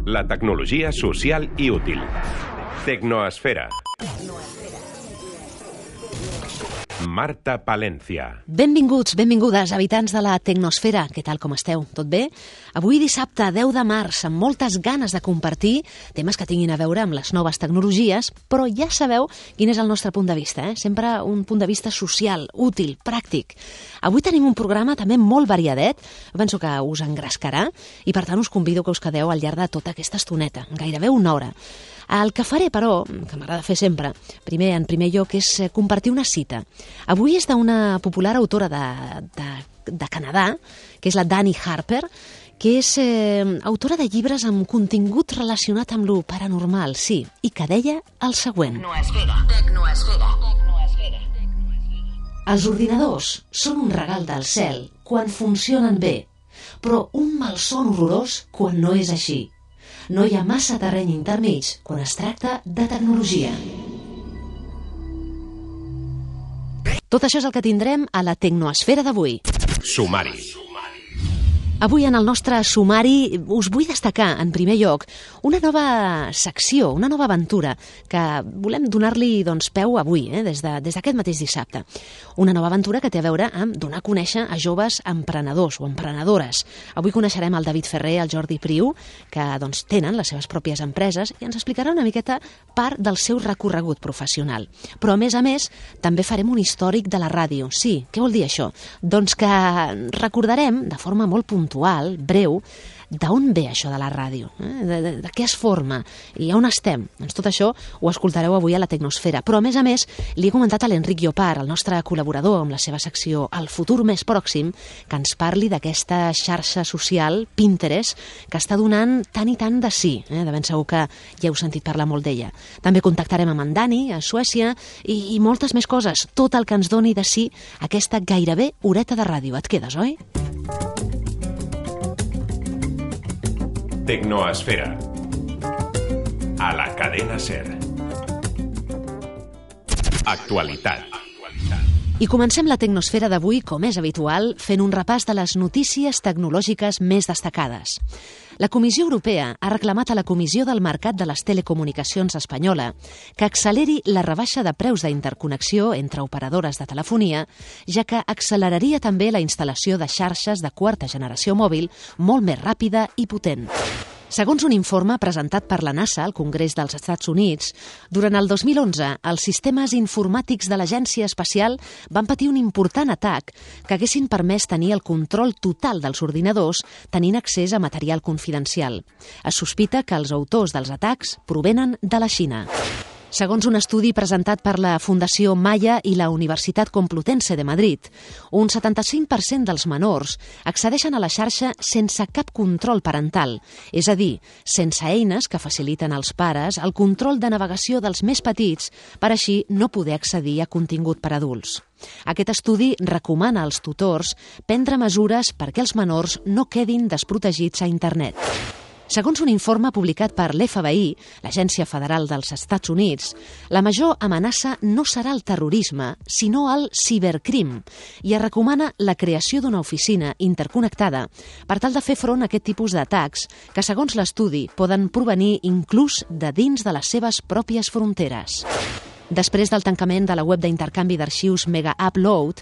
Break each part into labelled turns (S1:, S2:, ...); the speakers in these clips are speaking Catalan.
S1: La tecnologia social i útil. Tecnoesfera. Marta Palencia.
S2: Benvinguts, benvingudes, habitants de la Tecnosfera. Què tal, com esteu? Tot bé? Avui dissabte, 10 de març, amb moltes ganes de compartir temes que tinguin a veure amb les noves tecnologies, però ja sabeu quin és el nostre punt de vista, Sempre un punt de vista social, útil, pràctic. Avui tenim un programa també molt variadet, penso que us engrescarà, i per tant us convido que us quedeu al llarg de tota aquesta estoneta, gairebé una hora. El que faré, però, que m'agrada fer sempre, en primer lloc, és compartir una cita. Avui és d'una popular autora de Canadà, que és la Dani Harper, que és autora de llibres amb contingut relacionat amb lo paranormal, sí, i que deia el següent. Tecnoesfera. Els ordinadors són un regal del cel quan funcionen bé, però un malson horrorós quan no és així. No hi ha massa terreny intermig quan es tracta de tecnologia. Tot això és el que tindrem a la Tecnoesfera d'avui.
S1: Sumari.
S2: Avui en el nostre sumari us vull destacar, en primer lloc, una nova secció, una nova aventura que volem donar-li peu avui, des d'aquest mateix dissabte. Una nova aventura que té a veure amb donar a conèixer a joves emprenedors o emprenedores. Avui coneixerem el David Ferrer, el Jordi Priu, que tenen les seves pròpies empreses i ens explicarà una miqueta part del seu recorregut professional. Però, a més, també farem un històric de la ràdio. Sí, què vol dir això? Doncs que recordarem, de forma molt puntual, breu, d'on ve això de la ràdio, de què es forma i on estem. Doncs tot això ho escoltareu avui a la Tecnosfera. Però, a més, li he comentat a l'Enric Llopart, el nostre col·laborador amb la seva secció El futur més pròxim, que ens parli d'aquesta xarxa social, Pinterest, que està donant tant i tant de sí. De ben segur que ja heu sentit parlar molt d'ella. També contactarem amb en Dani, a Suècia, i moltes més coses. Tot el que ens doni de sí aquesta gairebé horeta de ràdio. Et quedes, oi?
S1: Tecnoesfera. A la cadena SER. Actualitat.
S2: I comencem la Tecnosfera d'avui, com és habitual, fent un repàs de les notícies tecnològiques més destacades. La Comissió Europea ha reclamat a la Comissió del Mercat de les Telecomunicacions espanyola que acceleri la rebaixa de preus d'interconnexió entre operadores de telefonia, ja que acceleraria també la instal·lació de xarxes de quarta generació mòbil molt més ràpida i potent. Segons un informe presentat per la NASA al Congrés dels Estats Units, durant el 2011 els sistemes informàtics de l'Agència Espacial van patir un important atac que haguessin permès tenir el control total dels ordinadors tenint accés a material confidencial. Es sospita que els autors dels atacs provenen de la Xina. Segons un estudi presentat per la Fundació Maya i la Universitat Complutense de Madrid, un 75% dels menors accedeixen a la xarxa sense cap control parental, és a dir, sense eines que faciliten als pares el control de navegació dels més petits per així no poder accedir a contingut per adults. Aquest estudi recomana als tutors prendre mesures perquè els menors no quedin desprotegits a internet. Segons un informe publicat per l'FBI, l'Agència Federal dels Estats Units, la major amenaça no serà el terrorisme, sinó el cibercrim, i es recomana la creació d'una oficina interconnectada per tal de fer front a aquest tipus d'atacs que, segons l'estudi, poden provenir inclús de dins de les seves pròpies fronteres. Després del tancament de la web d'intercanvi d'arxius Mega Upload,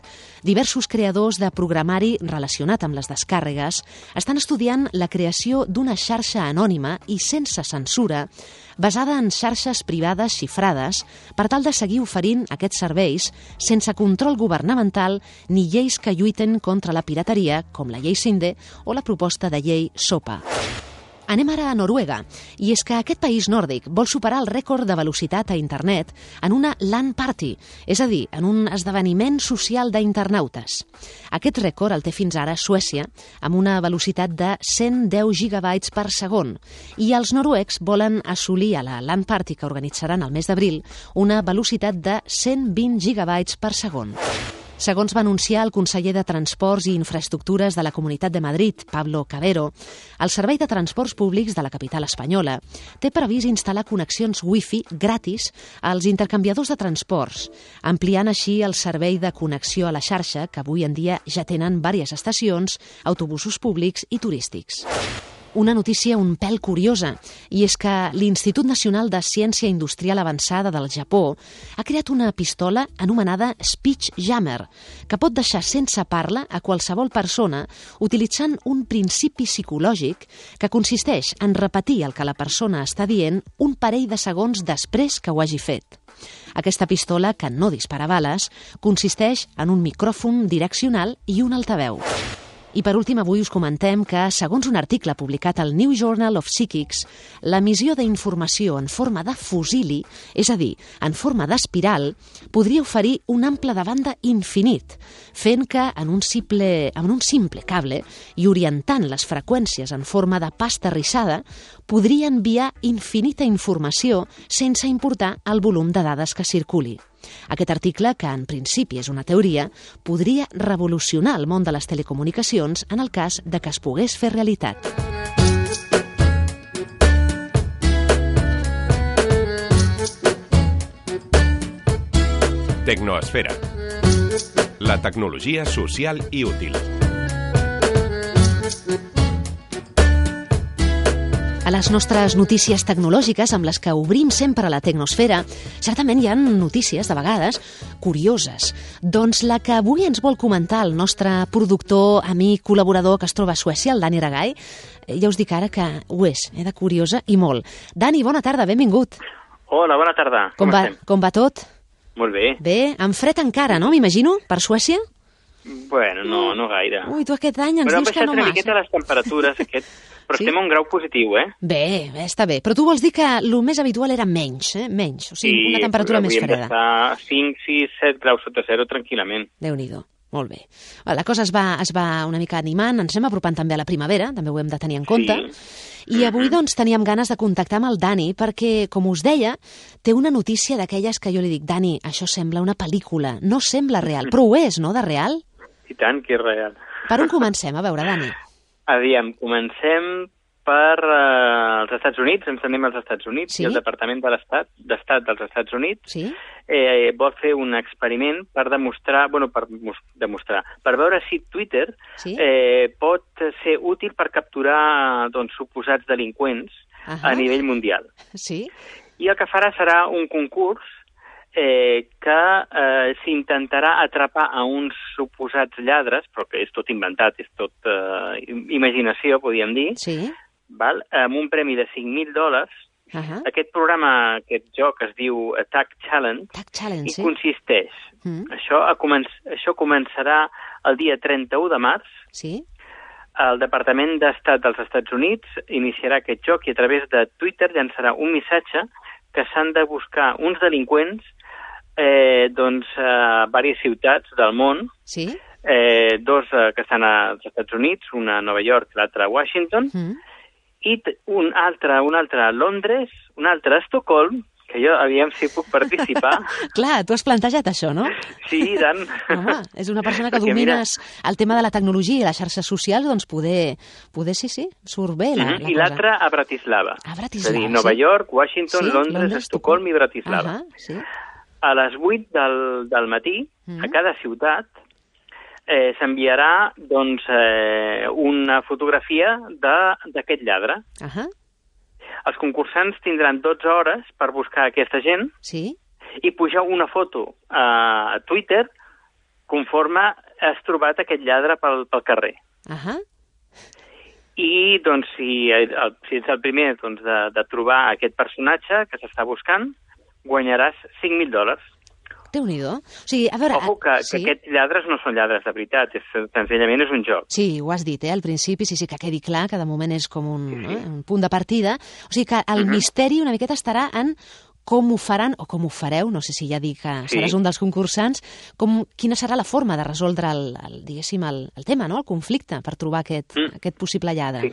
S2: diversos creadors de programari relacionat amb les descàrregues estan estudiant la creació d'una xarxa anònima i sense censura basada en xarxes privades xifrades per tal de seguir oferint aquests serveis sense control governamental ni lleis que lluiten contra la pirateria, com la llei Sinde o la proposta de llei SOPA. Anem ara a Noruega, i és que aquest país nòrdic vol superar el rècord de velocitat a internet en una LAN party, és a dir, en un esdeveniment social d'internautes. Aquest rècord el té fins ara Suècia, amb una velocitat de 110 gigabytes per segon, i els noruecs volen assolir a la LAN party que organitzaran el mes d'abril una velocitat de 120 gigabytes per segon. Segons va anunciar el conseller de Transports i Infraestructures de la Comunitat de Madrid, Pablo Cabero, el Servei de Transports Públics de la capital espanyola té previst instal·lar connexions Wi-Fi gratis als intercanviadors de transports, ampliant així el servei de connexió a la xarxa que avui en dia ja tenen diverses estacions, autobusos públics i turístics. una notícia un pèl curiosa, i és que l'Institut Nacional de Ciència Industrial Avançada del Japó ha creat una pistola anomenada Speech Jammer, que pot deixar sense parla a qualsevol persona utilitzant un principi psicològic que consisteix en repetir el que la persona està dient un parell de segons després que ho hagi fet. Aquesta pistola, que no dispara bales, consisteix en un micròfon direccional i un altaveu. I per últim, avui us comentem que, segons un article publicat al New Journal of Psychics, l'emissió d'informació en forma de fusili, és a dir, en forma d'espiral, podria oferir un ample de banda infinit, fent que en un simple cable i orientant les freqüències en forma de pasta rissada, podria enviar infinita informació sense importar el volum de dades que circuli. Aquest article, que en principi és una teoria, podria revolucionar el món de les telecomunicacions en el cas de que es pogués fer realitat.
S1: Tecnoesfera. La tecnologia social i útil.
S2: A les nostres notícies tecnològiques, amb les que obrim sempre la Tecnosfera, certament hi ha notícies, de vegades, curioses. Doncs la que avui ens vol comentar el nostre productor, amic, col·laborador que es troba a Suècia, el Dani Ragai, ja us dic ara que ho és, de curiosa i molt. Dani, bona tarda, benvingut.
S3: Hola, bona tarda.
S2: Com va tot?
S3: Molt bé.
S2: Bé, amb fred encara, no, m'imagino, per Suècia?
S3: Bueno, no gaire.
S2: Ui, tu aquest any ens dius que no
S3: massa. Però han baixat una
S2: massa.
S3: miqueta les temperatures, però
S2: Sí?
S3: estem a un grau positiu, eh?
S2: Bé, està bé. Però tu vols dir que el més habitual era menys, menys, o sigui, una temperatura més freda.
S3: Sí, d'estar 5, 6, 7 graus sota zero tranquil·lament.
S2: Déu-n'hi-do. Molt bé. La cosa es va una mica animant, ens anem apropant també a la primavera, també ho hem de tenir en compte. I avui, doncs, teníem ganes de contactar amb el Dani perquè, com us deia, té una notícia d'aquelles que jo li dic, Dani, això sembla una pel·lícula, no sembla real, però ho és, no, de real?
S3: I tant que és real.
S2: Per on comencem? A veure, Dani.
S3: Aviam, comencem per els Estats Units, ens anem als Estats Units,
S2: Sí?
S3: i el Departament d'Estat dels Estats Units
S2: Sí?
S3: vol fer un experiment per demostrar, per veure si Twitter
S2: Sí?
S3: pot ser útil per capturar suposats delinqüents a nivell mundial.
S2: Sí?
S3: I el que farà serà un concurs que s'intentarà atrapar a uns suposats lladres, però que és tot inventat, és tot imaginació, podríem dir,
S2: Sí?
S3: val? Amb un premi de $5.000. Aquest programa, aquest joc es diu Tag Challenge,
S2: Tag Challenge,
S3: i
S2: sí?
S3: consisteix. Això començarà el dia 31 de març.
S2: Sí?
S3: El Departament d'Estat dels Estats Units iniciarà aquest joc i a través de Twitter llançarà un missatge que s'han de buscar uns delinqüents a diverses ciutats del món,
S2: Sí?
S3: dos que estan als Estats Units, una a Nova York i l'altra a Washington, i un altre a Londres, un altre a Estocolm, que jo aviam si puc participar.
S2: Clar, tu has plantejat això, no?
S3: Sí, i tant.
S2: Home, és una persona que
S3: Perquè,
S2: domines el tema de la tecnologia i les xarxes socials, doncs poder sí, surt bé la cosa.
S3: I l'altre a Bratislava.
S2: A Bratislava,
S3: és a dir, Nova York, Washington,
S2: Sí,
S3: Londres, Estocolm i Bratislava.
S2: Sí?
S3: A les 8 del matí, a cada ciutat, s'enviarà una fotografia d'aquest lladre. Els concursants tindran 12 hores per buscar aquesta gent
S2: Sí?
S3: i pujar una foto a Twitter conforme has trobat aquest lladre pel carrer. I, si ets el primer de trobar aquest personatge que s'està buscant, guanyaràs $5.000.
S2: Déu-n'hi-do. O sigui, a veure...
S3: Ojo, que aquests lladres no són lladres de veritat, senzillament és un joc.
S2: Sí, ho has dit, al principi, sí, que quedi clar, que de moment és com un punt de partida. O sigui que el misteri una miqueta estarà en com ho faran, o com ho fareu, no sé si ja dic que seràs un dels concursants, quina serà la forma de resoldre el tema, no? El conflicte, per trobar aquest possible lladre.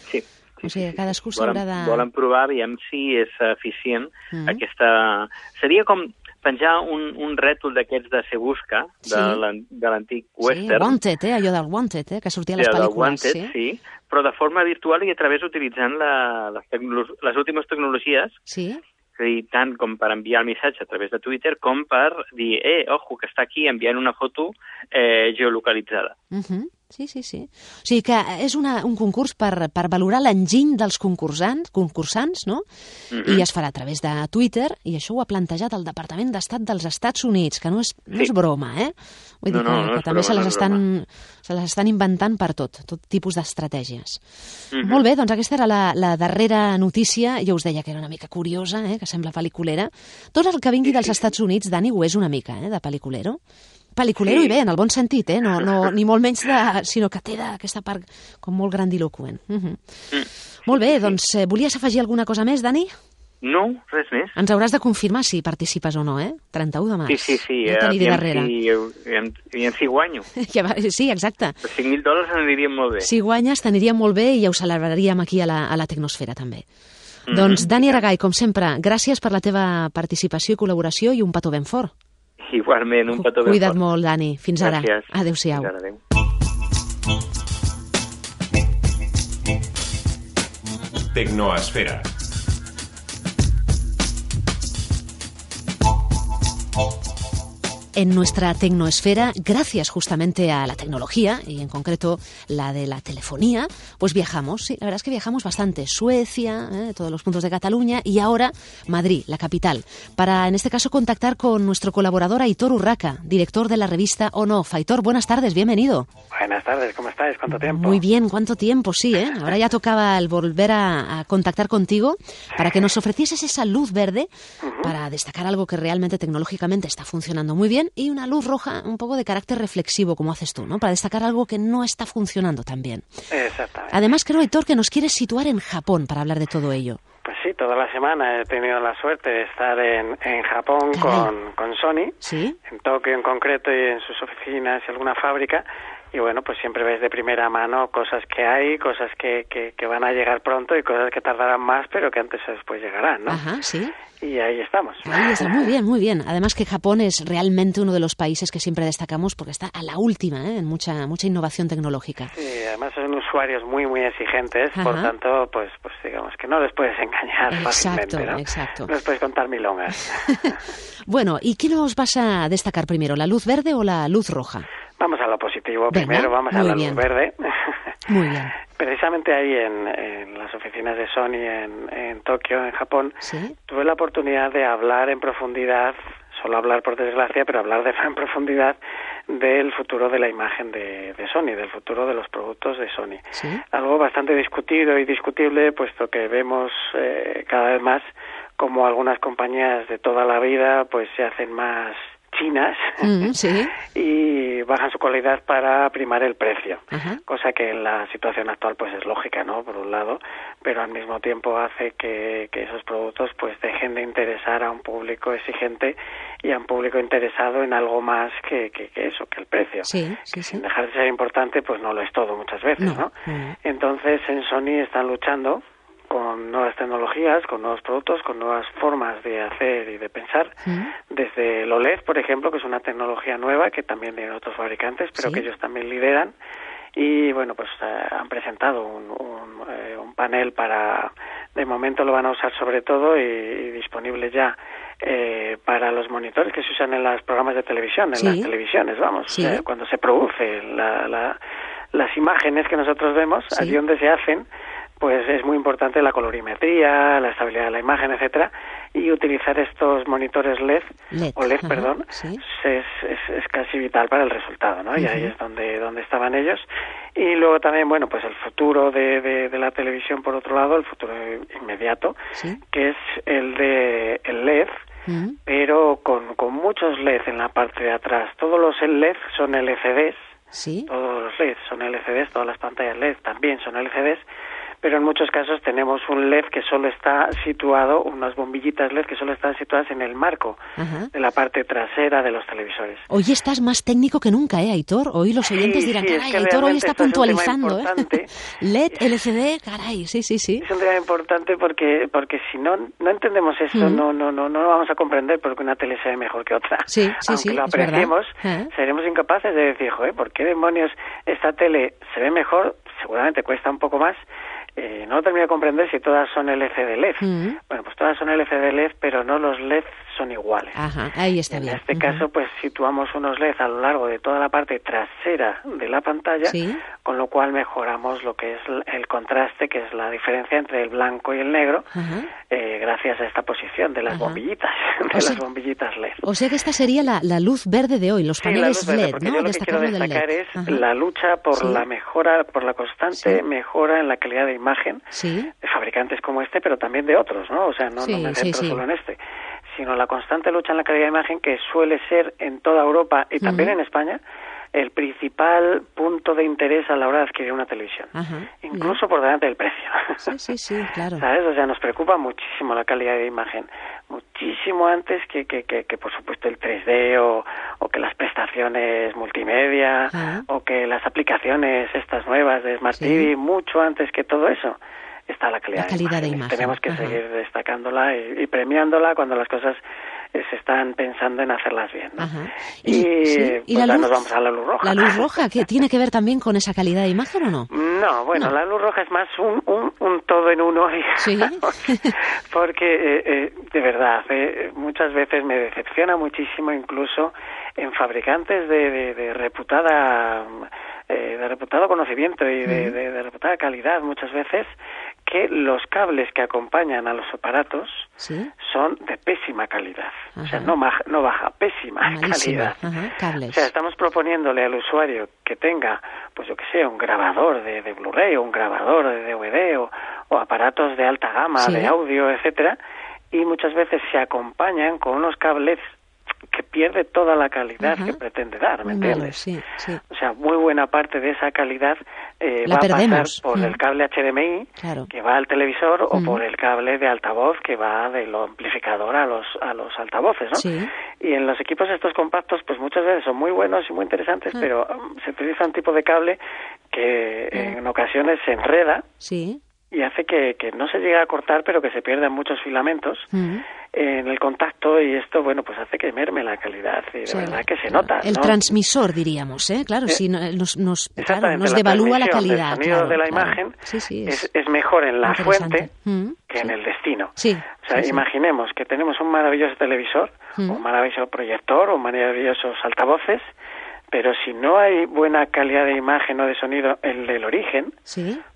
S3: Sí.
S2: O sigui, cadascú s'haurà de...
S3: Volen provar, aviam si és eficient aquesta... Seria com penjar un rètol d'aquests de Se Busca, de l'antic western.
S2: Sí, Wanted, allò del Wanted, que sortia a les pel·lícules.
S3: Wanted, sí, però de forma virtual i a través utilitzant les últimes tecnologies, és a dir, tant com per enviar el missatge a través de Twitter com per dir, ojo, que està aquí enviant una foto geolocalitzada.
S2: Sí. O sigui que és un concurs per valorar l'enginy dels concursants, no? I es farà a través de Twitter, i això ho ha plantejat el Departament d'Estat dels Estats Units, que no és broma, Vull dir que també se les estan inventant per tot tipus d'estratègies. Molt bé, doncs aquesta era la darrera notícia. Jo us deia que era una mica curiosa, que sembla pel·liculera. Tot el que vingui dels Estats Units, Dani, ho és una mica, de pel·liculero. Pel·liculero i bé, en el bon sentit, no, ni molt menys sinó que té aquesta part com molt grandiloquent. Molt bé, doncs volies afegir alguna cosa més, Dani?
S3: No, res més.
S2: Ens hauràs de confirmar si participes o no, 31 de març.
S3: Sí,
S2: no t'aniré darrere.
S3: I si guanyo.
S2: Sí, exacte.
S3: Per $5.000 aniríem molt bé.
S2: Si guanyes, t'aniríem molt bé i ja ho celebraríem aquí a la Tecnosfera, també. Doncs, Dani Aragay, com sempre, gràcies per la teva participació i col·laboració i un petó ben fort.
S3: Igualment, un petó ben fort.
S2: Cuida't molt, Dani. Fins ara.
S3: Gràcies.
S2: Adéu-siau.
S3: Fins ara, adéu.
S1: Tecnoesfera.
S2: En nuestra tecnoesfera, gracias justamente a la tecnología, y en concreto la de la telefonía, pues viajamos. Sí, la verdad es que viajamos bastante. Suecia, todos los puntos de Cataluña, y ahora Madrid, la capital, para en este caso contactar con nuestro colaborador Aitor Urraca, director de la revista On Off. Aitor, buenas tardes, bienvenido.
S4: Buenas tardes, ¿cómo estáis? ¿Cuánto tiempo?
S2: Muy bien, ¿cuánto tiempo? Sí, Ahora ya tocaba el volver a contactar contigo para que nos ofrecieses esa luz verde para destacar algo que realmente tecnológicamente está funcionando muy bien, y una luz roja un poco de carácter reflexivo, como haces tú, ¿no? Para destacar algo que no está funcionando tan bien.
S4: Exactamente.
S2: Además, creo, Aitor, que nos quieres situar en Japón para hablar de todo ello.
S4: Pues sí, toda la semana he tenido la suerte de estar en Japón con Sony,
S2: ¿sí?
S4: En Tokio en concreto y en sus oficinas y alguna fábrica. Y bueno, pues siempre ves de primera mano cosas que hay, cosas que van a llegar pronto y cosas que tardarán más, pero que antes o después llegarán, ¿no?
S2: Ajá, sí.
S4: Y ahí estamos.
S2: Ahí está, muy bien, muy bien. Además que Japón es realmente uno de los países que siempre destacamos porque está a la última, en mucha innovación tecnológica.
S4: Sí, además son usuarios muy, muy exigentes, por tanto, pues digamos que no les puedes engañar fácilmente, ¿no?
S2: Exacto.
S4: No les puedes contar milongas.
S2: Bueno, ¿y qué nos vas a destacar primero, la luz verde o la luz roja?
S4: Vamos a lo positivo.
S2: Venga,
S4: primero, vamos a la luz verde.
S2: Muy bien.
S4: Precisamente ahí en las oficinas de Sony en Tokio, en Japón,
S2: ¿sí?
S4: Tuve la oportunidad de hablar en profundidad, solo hablar por desgracia, pero hablar en profundidad del futuro de la imagen de Sony, del futuro de los productos de Sony.
S2: ¿Sí?
S4: Algo bastante discutido y discutible, puesto que vemos cada vez más como algunas compañías de toda la vida pues se hacen más chinas
S2: sí.
S4: y bajan su calidad para primar el precio,
S2: ajá,
S4: cosa que en la situación actual pues es lógica, ¿no? Por un lado, pero al mismo tiempo hace que esos productos pues dejen de interesar a un público exigente y a un público interesado en algo más que eso, que el precio.
S2: Sí, sí, sí.
S4: Sin dejar de ser importante, pues no lo es todo muchas veces, ¿no? Entonces en Sony están luchando con nuevas tecnologías, con nuevos productos, con nuevas formas de hacer y de pensar, desde el OLED, por ejemplo, que es una tecnología nueva que también tienen otros fabricantes, pero
S2: ¿sí?
S4: que ellos también lideran, y bueno, pues han presentado un panel para, de momento lo van a usar sobre todo y disponible ya para los monitores que se usan en los programas de televisión, en
S2: ¿sí?
S4: las televisiones, vamos,
S2: ¿sí?
S4: Cuando se producen las imágenes que nosotros vemos,
S2: ¿sí?
S4: allí donde se hacen, pues es muy importante la colorimetría, la estabilidad de la imagen, etcétera, y utilizar estos monitores LED,
S2: ajá,
S4: perdón,
S2: ¿sí?
S4: es casi vital para el resultado, ¿no? Y ahí es donde estaban ellos. Y luego también, bueno, pues el futuro de la televisión, por otro lado, el futuro inmediato,
S2: ¿sí?
S4: que es el LED, pero con muchos LED en la parte de atrás. Todos los LED son LCDs,
S2: ¿sí?
S4: Todos los LED son LCDs, todas las pantallas LED también son LCDs, pero en muchos casos tenemos un LED que solo está situado, unas bombillitas LED que solo están situadas en el marco de la parte trasera de los televisores.
S2: Hoy estás más técnico que nunca, Aitor. Hoy los oyentes dirán, caray, Aitor hoy está puntualizando. LED, LCD, caray, sí.
S4: Es un tema importante porque si no entendemos esto, no lo vamos a comprender porque una tele se ve mejor que otra.
S2: Sí,
S4: aunque lo apreciemos, seremos incapaces de decir, joder, ¿por qué demonios esta tele se ve mejor? Seguramente cuesta un poco más. No lo termino de comprender si todas son LCD LED. Bueno, pues todas son LCD LED, pero no los LEDs son iguales.
S2: Ajá, ahí está bien.
S4: En este caso, pues situamos unos LEDs a lo largo de toda la parte trasera de la pantalla, ¿sí? Con lo cual mejoramos lo que es el contraste, que es la diferencia entre el blanco y el negro, gracias a esta posición de las bombillitas, las bombillitas LED.
S2: O sea que esta sería la luz verde de hoy, los paneles
S4: verde,
S2: LED,
S4: porque
S2: ¿no?
S4: Yo lo que quiero destacar es la lucha por la mejora, por la constante mejora en la calidad de imagen de fabricantes como este, pero también de otros, ¿no? O sea, no me centro solo en este, sino la constante lucha en la calidad de imagen, que suele ser en toda Europa y también en España el principal punto de interés a la hora de adquirir una televisión, incluso por delante del precio.
S2: Sí, claro.
S4: ¿Sabes? O sea, nos preocupa muchísimo la calidad de imagen, muchísimo antes que por supuesto el 3D o que las prestaciones multimedia o que las aplicaciones estas nuevas de Smart TV, mucho antes que todo eso está la calidad de imagen. Tenemos que seguir destacándola y premiándola cuando las cosas se están pensando en hacerlas bien, ¿no? Y pues nos vamos a la luz roja.
S2: ¿La luz roja que tiene que ver también con esa calidad de imagen o no?
S4: No, bueno, la luz roja es más un todo en uno, porque de verdad, muchas veces me decepciona muchísimo, incluso en fabricantes de reputado conocimiento y de reputada calidad, muchas veces, que los cables que acompañan a los aparatos son de pésima calidad. O sea, no baja, pésima calidad. O sea, estamos proponiéndole al usuario que tenga, pues yo que sé, un grabador de Blu-ray o un grabador de DVD o aparatos de alta gama, de audio, etcétera, y muchas veces se acompañan con unos cables que pierde toda la calidad que pretende dar, ¿me entiendes? O sea, muy buena parte de esa calidad va a pasar por el cable HDMI que va al televisor o por el cable de altavoz que va del amplificador a los altavoces, ¿no? Y en los equipos estos compactos, pues muchas veces son muy buenos y muy interesantes, pero se utiliza un tipo de cable que en ocasiones se enreda y hace que no se llegue a cortar, pero que se pierdan muchos filamentos en el contacto, y esto, bueno, pues hace que merme la calidad, y de verdad que se nota,
S2: el transmisor, diríamos, claro, si nos devalúa la calidad.
S4: El sonido de la imagen es mejor en la fuente que en el destino. O sea, imaginemos que tenemos un maravilloso televisor, un maravilloso proyector, o maravillosos altavoces, pero si no hay buena calidad de imagen o de sonido en el origen,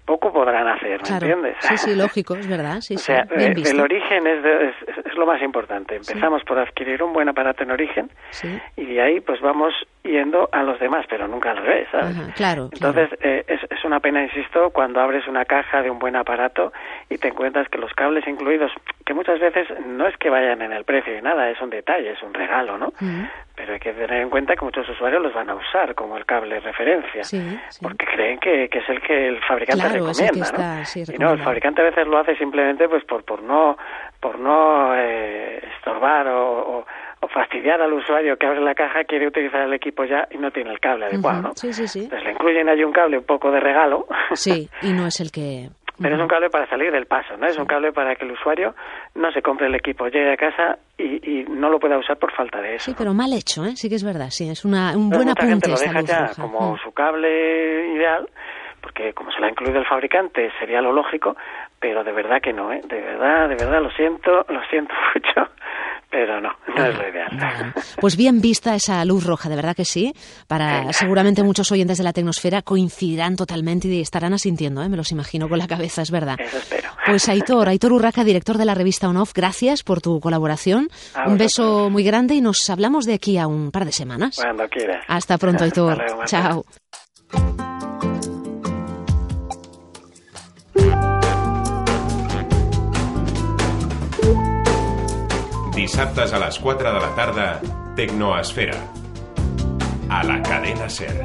S4: poco podrán hacer, ¿me entiendes?
S2: Sí, lógico, es verdad.
S4: O sea, el origen es lo más importante. Empezamos por adquirir un buen aparato en origen y de ahí pues vamos yendo a los demás, pero nunca al revés, ¿sabes? Entonces, es una pena, insisto, cuando abres una caja de un buen aparato y te encuentras que los cables incluidos, que muchas veces no es que vayan en el precio y nada, es un detalle, es un regalo, ¿no? Pero hay que tener en cuenta que muchos usuarios los van a usar como el cable de referencia, porque creen que es el que el fabricante recomienda, ¿no? Y no, el fabricante a veces lo hace simplemente pues por no estorbar o fastidiar al usuario que abre la caja, quiere utilizar el equipo ya y no tiene el cable adecuado, ¿no? Entonces le incluyen ahí un cable un poco de regalo.
S2: Y no es el que...
S4: Pero es un cable para salir del paso, ¿no? Es un cable para que el usuario no se compre el equipo, llegue a casa y no lo pueda usar por falta de eso.
S2: Sí, pero mal hecho, sí que es verdad, es un buen apunte.
S4: Mucha gente lo deja ya como su cable ideal, porque como se lo ha incluido el fabricante sería lo lógico, pero de verdad que no, de verdad lo siento mucho, pero no es lo ideal.
S2: Bueno, pues bien vista esa luz roja, de verdad que sí. Seguramente muchos oyentes de la Tecnosfera coincidirán totalmente y estarán asintiendo, me los imagino con la cabeza, es verdad.
S4: Eso espero.
S2: Pues Aitor Urraca, director de la revista On Off, gracias por tu colaboración. Un beso muy grande y nos hablamos de aquí a un par de semanas.
S4: Cuando quieras.
S2: Hasta pronto, Aitor.
S4: Hasta luego,
S2: chao.
S1: Dissabtes a les 4 de la tarda, Tecnoesfera. A la cadena SER.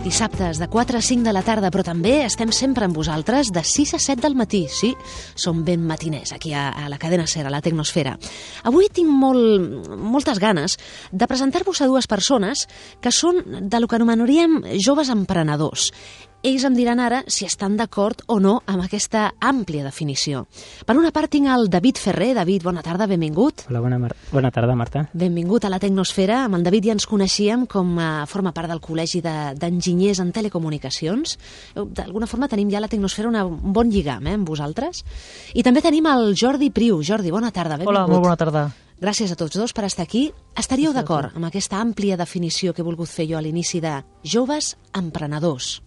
S2: Dissabtes de 4 a 5 de la tarda, però també estem sempre amb vosaltres de 6 a 7 del matí. Sí, som ben matiners aquí a la cadena SER, a la Tecnosfera. Avui tinc moltes ganes de presentar-vos a dues persones que són de lo que anomenaríem joves emprenedors. ells em diran ara si estan d'acord o no amb aquesta àmplia definició. Per una part tinc el David Ferrer. David, bona tarda, benvingut.
S5: Hola, bona tarda, Marta.
S2: Benvingut a la Tecnosfera. Amb el David ja ens coneixíem com forma part del Col·legi d'Enginyers en Telecomunicacions. D'alguna forma tenim ja a la Tecnosfera un bon lligam amb vosaltres. I també tenim el Jordi Priu. Jordi, bona tarda, benvingut.
S6: Hola, molt bona tarda.
S2: Gràcies a tots dos per estar aquí. Estaríeu d'acord amb aquesta àmplia definició que he volgut fer jo a l'inici de joves emprenedors?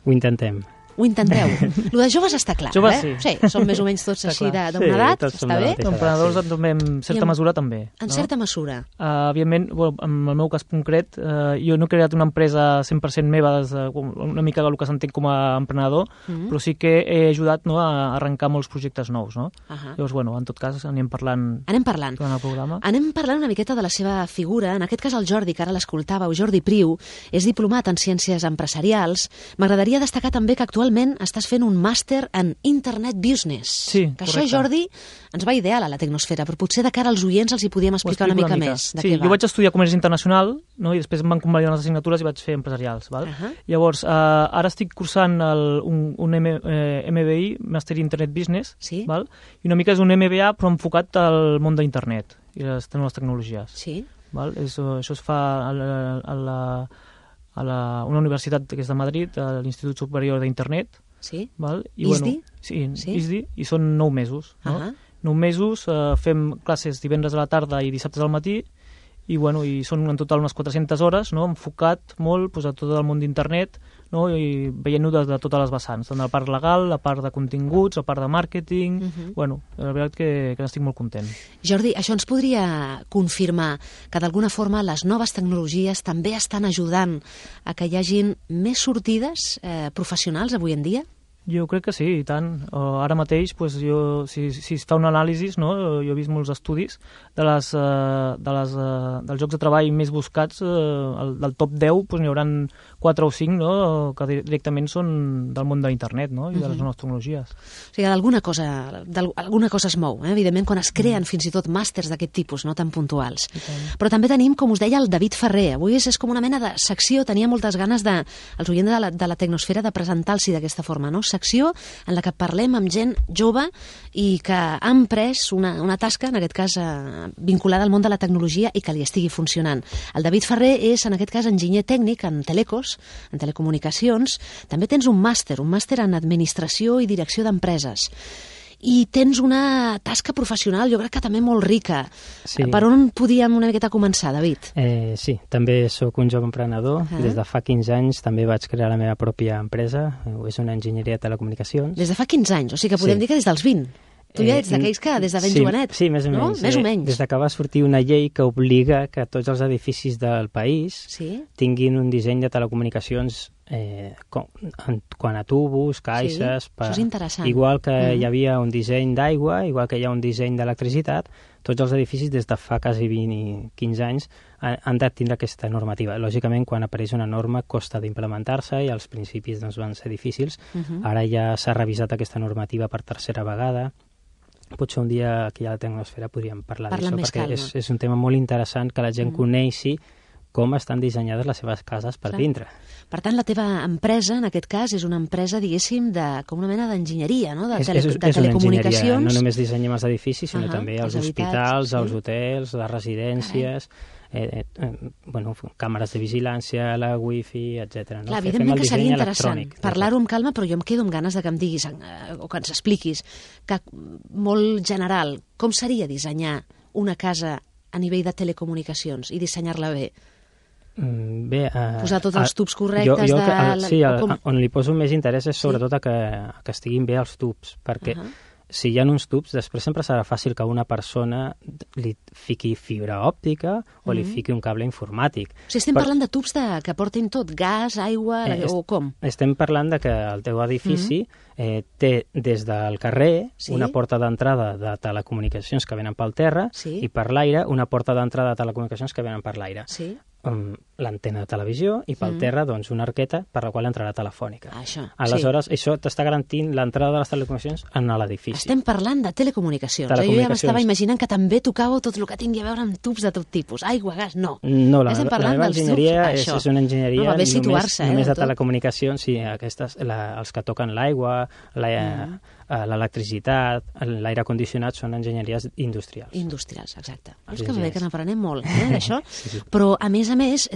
S5: Ho intentem.
S2: Ho intenteu. Lo de joves està clar,
S6: joves,
S2: Sí, som més o menys tots així d'una edat, està bé?
S6: Emprenedors en certa mesura també.
S2: En certa mesura.
S6: Evidentment, en el meu cas concret, jo no he creat una empresa 100% meva, una mica del que s'entén com a emprenedor, però sí que he ajudat a arrencar molts projectes nous. Llavors, en tot cas, anem parlant durant el programa.
S2: Anem parlant una miqueta de la seva figura. En aquest cas, el Jordi, que ara l'escoltàveu, Jordi Priu, és diplomat en Ciències Empresarials. M'agradaria destacar també que actualment estàs fent un màster en Internet Business.
S6: Sí,
S2: que
S6: correcte.
S2: Això, Jordi, ens va ideal a la Tecnosfera, però potser de cara als oients els hi podíem explicar una mica més de què va.
S6: Jo vaig estudiar Comerç Internacional, i després em van convalidar unes assignatures i vaig fer empresarials. Llavors, ara estic cursant un MBI, Master in Internet Business, i una mica és un MBA però enfocat al món d'internet i les noves tecnologies. Això es fa a una universitat que és de Madrid, a l'Institut Superior d'Internet.
S2: ISDI?
S6: Sí, ISDI, i són 9 mesos. 9 mesos, fem classes divendres a la tarda i dissabtes al matí, i són en total unes 400 hores, enfocat molt a tot el món d'internet, i veient-ho de totes les vessants, tant la part legal, la part de continguts, la part de màrqueting. La veritat que n'estic molt content.
S2: Jordi, això ens podria confirmar que d'alguna forma les noves tecnologies també estan ajudant a que hi hagin més sortides professionals avui en dia?
S6: Jo crec que sí, i tant. Ara mateix, si es fa un anàlisi, jo he vist molts estudis dels llocs de treball més buscats, del top 10 n'hi haurà 4 o 5 que directament són del món d'internet i de les noves tecnologies.
S2: O sigui, alguna cosa es mou, evidentment, quan es creen fins i tot màsters d'aquest tipus, no tan puntuals. Però també tenim, com us deia, el David Ferrer. Avui és com una mena de secció, tenia moltes ganes els oients de la Tecnosfera de presentar-los d'aquesta forma, secció en la que parlem amb gent jove i que ha emprès una tasca, en aquest cas vinculada al món de la tecnologia i que li estigui funcionant. El David Ferrer és, en aquest cas, enginyer tècnic en telecos, en telecomunicacions. També tens un màster en administració i direcció d'empreses. I tens una tasca professional, jo crec que també molt rica. Per on podíem una miqueta començar, David?
S5: Sí, també sóc un jove emprenedor. Des de fa 15 anys també vaig crear la meva pròpia empresa. És una enginyeria de telecomunicacions.
S2: Des de fa 15 anys, o sigui que podem dir que des dels 20. Tu ja ets d'aquells que des de ben jovenet.
S5: Sí, més o menys.
S2: Més o menys.
S5: Des que va sortir una llei que obliga que tots els edificis del país tinguin un disseny de telecomunicacions quant a tubos, caixes...
S2: Això és interessant.
S5: Igual que hi havia un disseny d'aigua, igual que hi ha un disseny d'electricitat, tots els edificis des de fa quasi 20 i 15 anys han de tindre aquesta normativa. Lògicament, quan apareix una norma costa d'implementar-se i als principis van ser difícils. Ara ja s'ha revisat aquesta normativa per tercera vegada. Potser un dia aquí a la Tecnosfera podríem parlar d'això, perquè és un tema molt interessant que la gent coneixi com estan dissenyades les seves cases per dintre.
S2: Per tant, la teva empresa, en aquest cas, és una empresa, diguéssim, com una mena d'enginyeria, de telecomunicacions.
S5: És una enginyeria. No només dissenyem els edificis, sinó també els hospitals, els hotels, les residències, càmeres de vigilància, la wifi, etc.
S2: Clar, evidentment que seria interessant parlar-ho amb calma, però jo em quedo amb ganes de que em diguis, o que ens expliquis, que molt general, com seria dissenyar una casa a nivell de telecomunicacions i dissenyar-la bé? Posar tots els tubs correctes...
S5: On li poso més interès és sobretot que estiguin bé els tubs, perquè si hi ha uns tubs, després sempre serà fàcil que una persona li fiqui fibra òptica o li fiqui un cable informàtic.
S2: O sigui, estem parlant de tubs que portin tot, gas, aigua, o com?
S5: Estem parlant de que el teu edifici té des del carrer una porta d'entrada de telecomunicacions que venen pel terra i per l'aire una porta d'entrada de telecomunicacions que venen per l'aire. l'antena de televisió i pel terra doncs, una arqueta per la qual entrarà telefònica. Aleshores, això t'està garantint l'entrada de les telecomunicacions en l'edifici.
S2: Estem parlant de telecomunicacions. Jo ja m'estava imaginant que també tocàveu tot el que tingui a veure amb tubs de tot tipus. Aigua, gas, no.
S5: No, la meva enginyeria és una enginyeria només de telecomunicacions, sí, els que toquen l'aigua, l'electricitat, l'aire condicionat són enginyeries industrials.
S2: Industrials, exacte. És que bé que n'aprenem molt, d'això. Però, a més,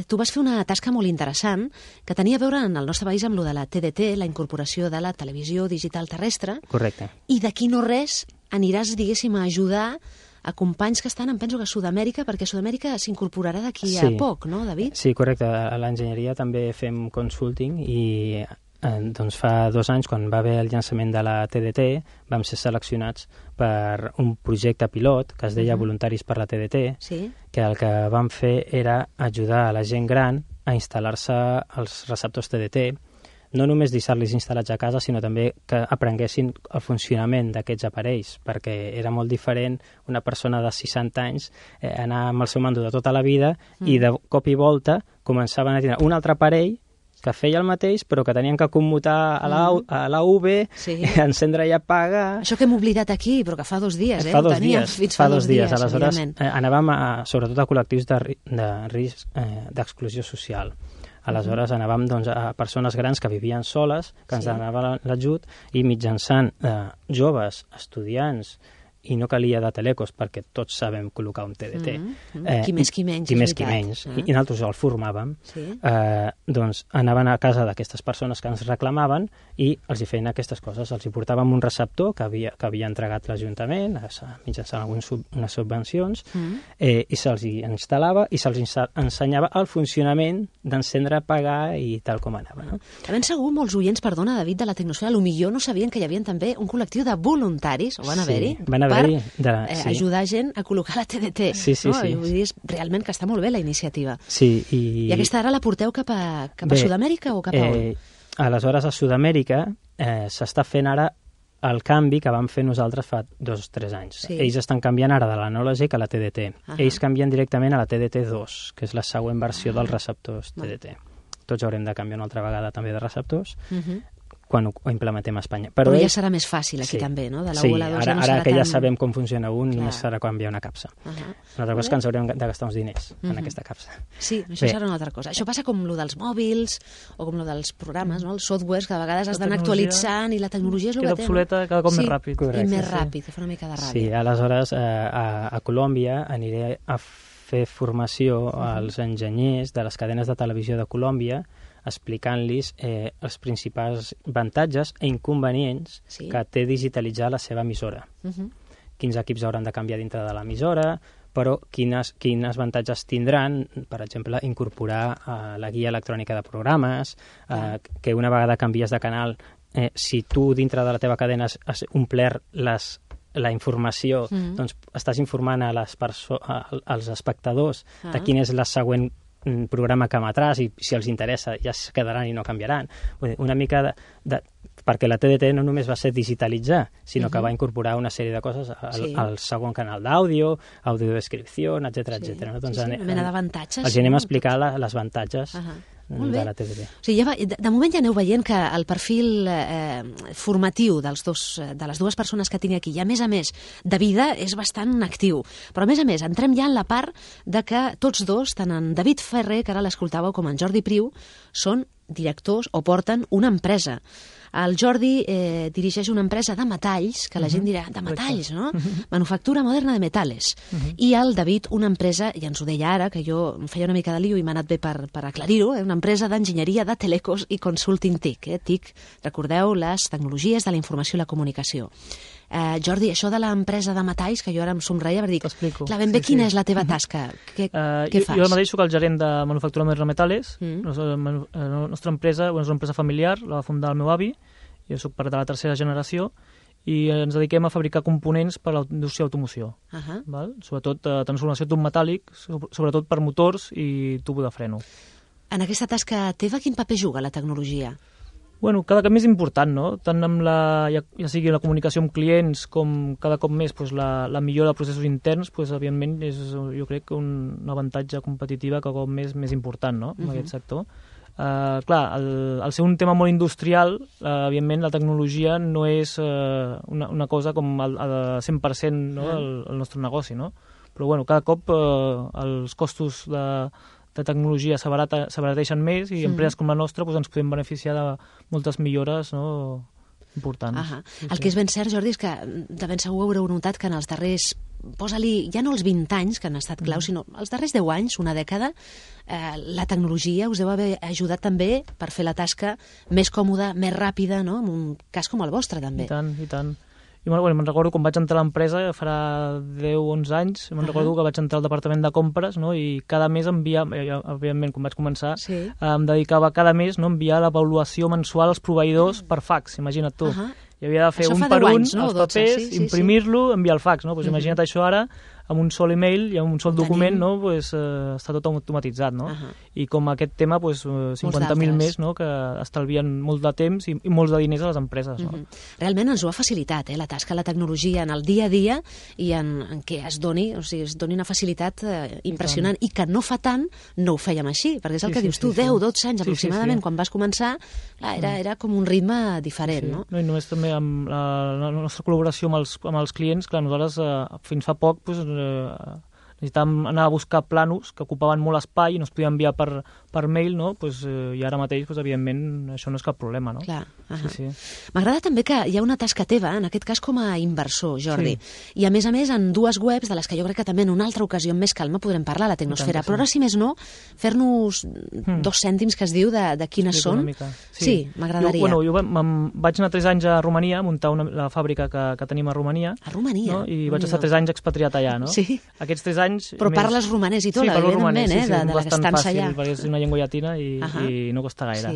S2: tu vas fer una tasca molt interessant que tenia a veure en el nostre país amb lo de la TDT, la incorporació de la televisió digital terrestre.
S5: Correcte.
S2: I d'aquí no res aniràs, diguéssim, a ajudar a companys que estan, em penso que a Sud-amèrica, perquè Sud-amèrica s'incorporarà d'aquí a poc, no, David?
S5: Sí, correcte. A l'enginyeria també fem consulting i doncs fa 2 anys, quan va haver el llançament de la TDT, vam ser seleccionats per un projecte pilot que es deia Voluntaris per la TDT, que el que vam fer era ajudar a la gent gran a instal·lar-se els receptors TDT, no només deixar-los instal·lats a casa, sinó també que aprenguessin el funcionament d'aquests aparells, perquè era molt diferent una persona de 60 anys anar amb el seu mando de tota la vida i de cop i volta començaven a tenir un altre aparell que feia el mateix, però que tenien que commutar a la UV, encendre i apagar...
S2: Això que hem oblidat aquí, però que fa 2 dies,
S5: Fa 2 dies. Aleshores, anàvem sobretot a col·lectius de risc d'exclusió social. Aleshores, anàvem a persones grans que vivien soles, que ens donaven l'ajut, i mitjançant joves, estudiants, i no calia de telecos perquè tots sabem col·locar un TDT.
S2: Qui més qui menys,
S5: qui menys. I nosaltres el formàvem. Doncs anaven a casa d'aquestes persones que ens reclamaven i els hi feien aquestes coses. Els hi portàvem un receptor que havia entregat l'Ajuntament mitjançant unes subvencions i se'ls hi instal·lava i se'ls ensenyava el funcionament d'encendre, apagar i tal com anava.
S2: De ben segur, molts oients, perdona, David, de la Tecnosfera, potser no sabien que hi havia també un col·lectiu de voluntaris, o van haver-hi, per ajudar gent a col·locar la TDT. Vull dir, realment que està molt bé la iniciativa. I aquesta ara la porteu cap a Sud-amèrica o cap a on?
S5: Aleshores, a Sud-amèrica s'està fent ara el canvi que vam fer nosaltres fa 2 o 3 anys. Ells estan canviant ara de l'anàlogic a la TDT. Ells canvien directament a la TDT2, que és la següent versió dels receptors TDT. Tots haurem de canviar una altra vegada també de receptors, quan ho implementem a Espanya.
S2: Però ja serà més fàcil aquí també, no? De la 1 a la 2
S5: ara que ja sabem com funciona només serà canviar una capsa. Una altra cosa és que ens haurem de gastar uns diners en aquesta capsa.
S2: Sí, això serà una altra cosa. Això passa com lo dels mòbils o com lo dels programes, els softwares que a vegades has d'anar actualitzant i la tecnologia és el que té.
S6: Queda obsoleta cada cop més ràpid.
S2: I més ràpid, que fa una mica de ràbia.
S5: Sí, aleshores a Colòmbia aniré a fer formació als enginyers de les cadenes de televisió de Colòmbia explicant-los els principals avantatges i inconvenients que té digitalitzar la seva emissora. Quins equips hauran de canviar dintre de l'emissora, però quins avantatges tindran, per exemple, incorporar la guia electrònica de programes, que una vegada canvies de canal, si tu dintre de la teva cadena has omplert la informació, doncs estàs informant als espectadors de quin és la següent programa que emetràs i si els interessa ja es quedaran i no canviaran. Una mica perquè la TDT no només va ser digitalitzar, sinó que va incorporar una sèrie de coses al segon canal d'àudio, audiodescripció, etc.
S2: Una mena d'avantatges.
S5: Els anem a explicar les avantatges de la TDT.
S2: O sigui, de moment ja aneu veient que el perfil formatiu de les dues persones que tinc aquí, i a més, de vida, és bastant actiu. Però a més, entrem ja en la part de que tots dos, tant en David Ferrer, que ara l'escoltàveu, com en Jordi Priu, són directors o porten una empresa. El Jordi dirigeix una empresa de metalls, que la gent dirà, de metalls, no? Manufactura moderna de metales. I el David una empresa, i ens ho deia ara, que jo em feia una mica de lío i m'ha anat bé per aclarir-ho, una empresa d'enginyeria de telecos i consulting TIC. TIC, recordeu, les tecnologies de la informació i la comunicació. Jordi, això de l'empresa de metalls, que jo ara em somreia per dir, clar, ben bé quina és la teva tasca? Què fas?
S6: Jo mateix soc el gerent de Manufactura Moderna de Metales. La nostra empresa és una empresa familiar, la va fundar el meu avi, jo soc part de la 3a generació, i ens dediquem a fabricar components per a la indústria d'automoció. Sobretot transformació tub metàl·lic, sobretot per motors i tubo de freno.
S2: En aquesta tasca teva, quin paper juga la tecnologia?
S6: Bueno, cada cop més important, no? Tant amb ja sigui la comunicació amb clients com cada cop més la millora de processos interns, evidentment és, jo crec, un avantatge competitiva cada cop més important, no?, en aquest sector. Clar, al ser un tema molt industrial, evidentment la tecnologia no és una cosa com al 100%, no?, el nostre negoci, no? Però bueno, cada cop els costos de tecnologia s'abarateixen més i empreses com la nostra ens podem beneficiar de moltes millores, no?, importants.
S2: El que és ben cert, Jordi, és que de ben segur haureu notat que en els darrers, posa-li, ja no els 20 anys que han estat clau, sinó els darrers 10 anys, una dècada, la tecnologia us deu haver ajudat també per fer la tasca més còmoda, més ràpida, no?, en un cas com el vostre, també.
S6: I tant, i tant. I me'n recordo quan vaig entrar a l'empresa, farà 10-11 anys, me'n recordo que vaig entrar al departament de compres, no?, i cada mes evidentment, quan vaig començar, em dedicava cada mes, no?, a enviar l'avaluació mensual als proveïdors per fax, imagina't tu. I havia de fer un per un els papers, imprimir-lo, enviar el fax, no? Imagina't això ara, amb un sol email i amb un sol document, no?, està tot automatitzat, no? I com aquest tema, 50.000 més, no?, que estalvien molt de temps i molts de diners a les empreses, no?
S2: Realment ens ho ha facilitat, la tasca, la tecnologia en el dia a dia i en què es doni una facilitat impressionant i que no fa tant no ho fèiem així, perquè és el que dius tu, 10-12 anys aproximadament, quan vas començar, era com un ritme diferent, no?
S6: I només també amb la nostra col·laboració amb els clients, clar, nosaltres fins fa poc necessitàvem anar a buscar plànols que ocupaven molt espai i no es podien enviar per mail, no? I ara mateix, evidentment, això no és cap problema, no?
S2: Clar. M'agrada també que hi ha una tasca teva, en aquest cas com a inversor, Jordi, i a més en dues webs de les que jo crec que també en una altra ocasió amb més calma podrem parlar, la Tecnosfera, però ara, si més no, fer-nos 2 cèntims que es diu de quines són. Sí, m'agradaria.
S6: Jo vaig anar 3 anys a Romania a muntar la fàbrica que tenim a Romania.
S2: A Romania?
S6: I vaig estar 3 anys expatriat allà, no?
S2: Sí.
S6: Aquests 3 anys...
S2: Però parles romanès i tot, evidentment, de l'estança allà.
S6: Perquè és una llengua llatina i no costa gaire.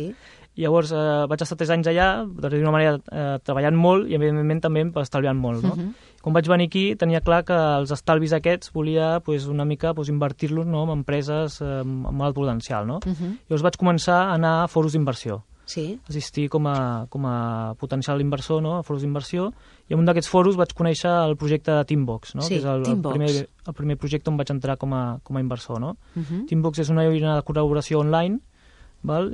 S6: I llavors vaig estar 3 anys allà, d'una manera treballant molt i evidentment també estalviant molt, no? Quan vaig venir aquí tenia clar que els estalvis aquests volia una mica invertir-los en empreses amb alt potencial, no? Llavors vaig començar a anar a fòrums d'inversió. Assistir com a potencial inversor, no?, a fòrums d'inversió, i en un d'aquests fòrums vaig conèixer el projecte de Teambox, no?, que és el primer projecte on vaig entrar com a inversor, no? Teambox és una eina de col·laboració online,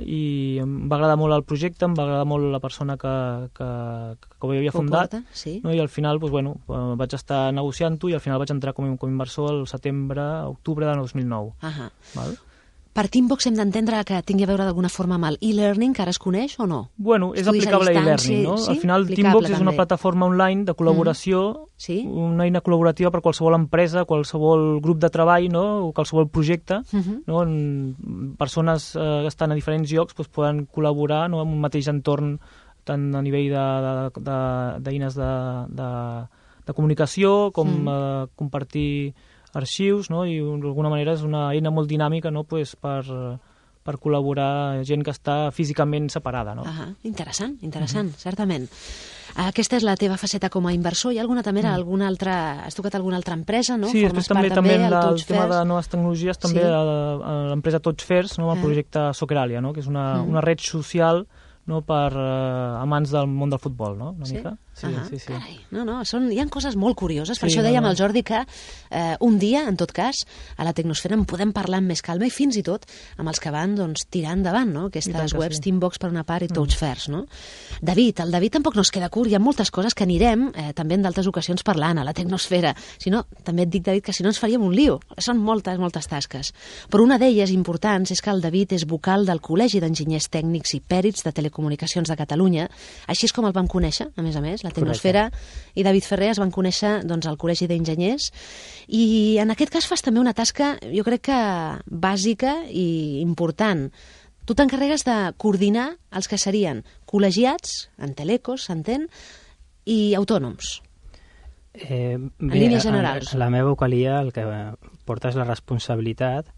S6: i em va agradar molt el projecte, em va agradar molt la persona que ho havia fundat, i al final vaig estar negociant-ho i al final vaig entrar com a inversor el setembre-octubre de 2009.
S2: Per Teambox hem d'entendre que tingui a veure d'alguna forma amb el e-learning, que ara es coneix o no?
S6: Bueno, és aplicable a e-learning, no? Al final Teambox és una plataforma online de col·laboració, una eina col·laborativa per qualsevol empresa, qualsevol grup de treball, no?, o qualsevol projecte, no? Persones que estan a diferents llocs poden col·laborar, no?, en un mateix entorn, tant a nivell d'eines de comunicació com compartir arxius, no?, i d'alguna manera és una eina molt dinàmica, no?, per col·laborar gent que està físicament separada, no?
S2: Interessant, certament. Aquesta és la teva faceta com a inversor. Hi ha alguna també, has tocat alguna altra empresa, no?
S6: Sí, després també el tema de noves tecnologies, també l'empresa Touchfairs, no?, el projecte Socceràlia, no?, que és una red social, no?, per amants del món del futbol, no?, una mica. Sí.
S2: Carai, hi ha coses molt curioses, per això dèiem al Jordi que un dia, en tot cas, a la Tecnosfera en podem parlar amb més calma i fins i tot amb els que van tirar endavant, no?, aquestes webs, Teambox per una part i Touchfairs, no? David, el David tampoc no es queda curt, hi ha moltes coses que anirem també en d'altres ocasions parlant a la Tecnosfera, si no, també et dic, David, que si no ens faríem un lío, són moltes tasques, però una d'elles importants és que el David és vocal del Col·legi d'Enginyers Tècnics i Pèrits de Telecomunicacions de Catalunya, així és com el vam conèixer, a més, la Tecnosfera i David Ferrer es van conèixer al Col·legi d'Enginyers i en aquest cas fas també una tasca jo crec que bàsica i important. Tu t'encarregues de coordinar els que serien col·legiats, en telecos, s'entén, i autònoms. En línies generals.
S5: La meva vocalia el que porta és la responsabilitat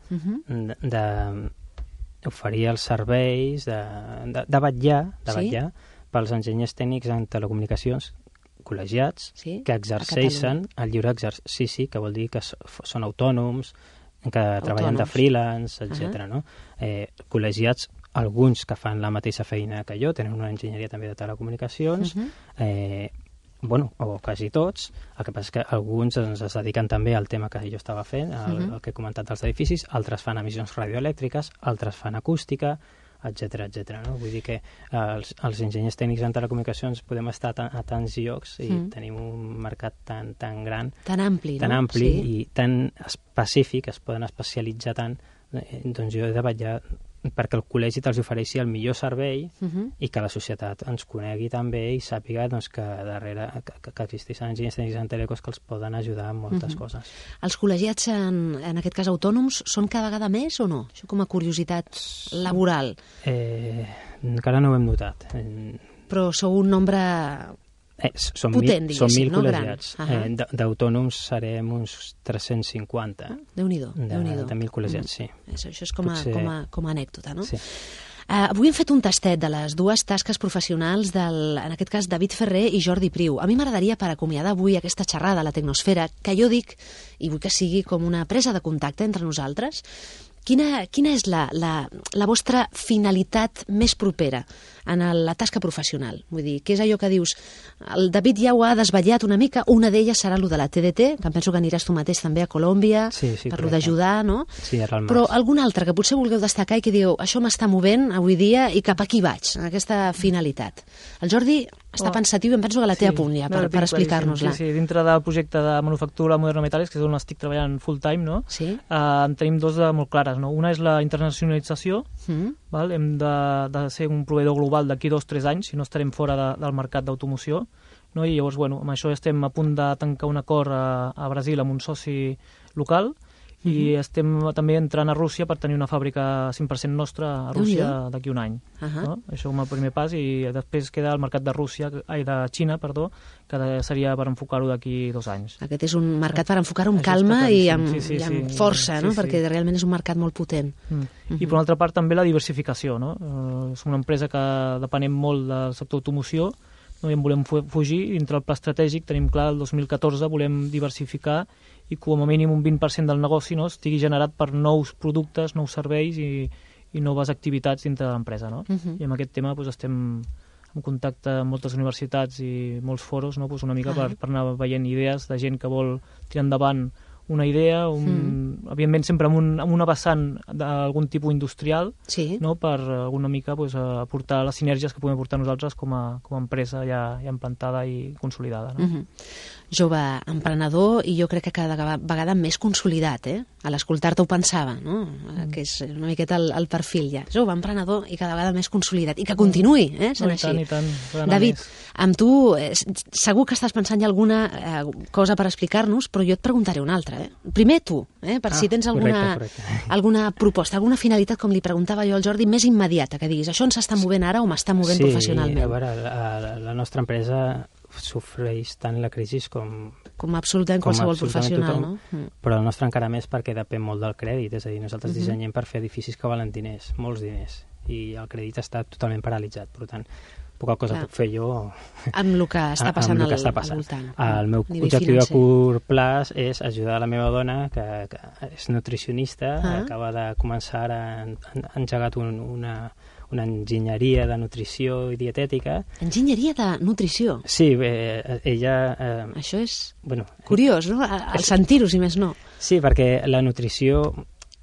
S5: d'oferir els serveis, de vetllar pels enginyers tècnics en telecomunicacions col·legiats que exerceixen el lliure exercici, que vol dir que són autònoms, que treballen de freelance, etc. No? Col·legiats alguns que fan la mateixa feina que jo, tenen una enginyeria també de telecomunicacions, o quasi tots. El que passa és que alguns es dediquen també al tema que jo estava fent, el que he comentat dels edificis, altres fan emissions radioelèctriques, altres fan acústica, etc. No? Vull dir que els enginyers tècnics en telecomunicacions podem estar a tants llocs i tenim un mercat tan gran,
S2: tan ampli,
S5: i tan específic, es poden especialitzar tant, doncs jo he de vetllar perquè el col·legi te'ls ofereixi el millor servei i que la societat ens conegui també i sàpiga que darrere que existeixen enginyers tècnics en telecos que els poden ajudar en moltes coses.
S2: Els col·legiats, en aquest cas autònoms, són cada vegada més o no? Això com a curiositat laboral.
S5: Encara no ho hem notat.
S2: Però sou un nombre potent, diguéssim,
S5: som 1.000
S2: no?
S5: col·legiats. D'autònoms serem uns 350.
S2: Déu-n'hi-do.
S5: De 1.000 col·legiats, sí.
S2: Això és com a anècdota, no?
S5: Sí.
S2: Avui hem fet un tastet de les dues tasques professionals en aquest cas, David Ferrer i Jordi Priu. A mi m'agradaria, per acomiadar avui aquesta xerrada a la Tecnosfera, que jo dic, i vull que sigui com una presa de contacte entre nosaltres, quina és la vostra finalitat més propera en la tasca professional? Vull dir, què és allò que dius? El David ja ho ha desvetllat una mica, una d'elles serà lo de la TDT, que em penso que aniràs tu mateix també a Colòmbia, per lo d'ajudar, no?
S5: Sí, ara al març.
S2: Però algun altre que potser vulgueu destacar i que dieu, això m'està movent avui dia i cap aquí vaig, en aquesta finalitat. El Jordi està pensatiu i em penso que la té a punt ja per explicar-nos-la.
S6: Sí, dintre del projecte de manufactura Moderna Metales, que és on estic treballant full time, no? En tenim dos de molt clares, no? Una és la internacionalització, val? Hem de ser un proveïdor global d'aquí 2-3 anys, si no estarem fora del mercat d'automoció, no? I llavors, amb això estem a punt de tancar un acord a Brasil amb un soci local i estem també entrant a Rússia per tenir una fàbrica 100% nostra a Rússia d'aquí un any. No? Això com a primer pas, i després queda el mercat de Xina, que seria per enfocar-ho d'aquí 2 anys.
S2: Aquest és un mercat per enfocar-ho amb calma i amb força, no? Perquè realment és un mercat molt potent.
S6: I per una altra part també la diversificació, no? Som una empresa que depenem molt del sector automoció, no? I en volem fugir. Dintre el pla estratègic tenim clar el 2014 volem diversificar i com a mínim un 20% del negoci, no, estigui generat per nous productes, nous serveis i noves activitats dintre de l'empresa. No? I amb aquest tema estem en contacte amb moltes universitats i molts foros, no? Una mica per anar veient idees de gent que vol tirar endavant una idea, evidentment sempre amb una vessant d'algun tipus industrial, no? Per alguna mica aportar les sinergies que podem aportar nosaltres com a empresa ja implantada i consolidada. No?
S2: Jove emprenedor i jo crec que cada vegada més consolidat, a l'escoltar-te ho pensava, no? Que és una miqueta el perfil ja. Jove emprenedor i cada vegada més consolidat. I que continuï, sent així.
S6: I tant.
S2: David, amb tu segur que estàs pensant ja alguna cosa per explicar-nos, però jo et preguntaré una altra. Primer tu, per si tens alguna proposta, alguna finalitat, com li preguntava jo al Jordi, més immediata, que diguis, això ens està movent ara o m'està movent professionalment.
S5: Sí, a veure, la nostra empresa sofreix tant la crisi
S2: com absolutament qualsevol professional, no?
S5: Però el nostre encara més perquè depèn molt del crèdit, és a dir, nosaltres dissenyem per fer edificis que valen diners, molts diners, i el crèdit està totalment paralitzat, per tant, poca cosa puc fer jo
S2: amb el que està passant al voltant.
S5: El meu objectiu a curt plaç és ajudar la meva dona, que és nutricionista, acaba de començar, ha engegat una enginyeria de nutrició i dietètica.
S2: Enginyeria de nutrició?
S5: Sí, ella...
S2: Això és curiós, no? Al sentir-ho, si més no.
S5: Sí, perquè la nutrició,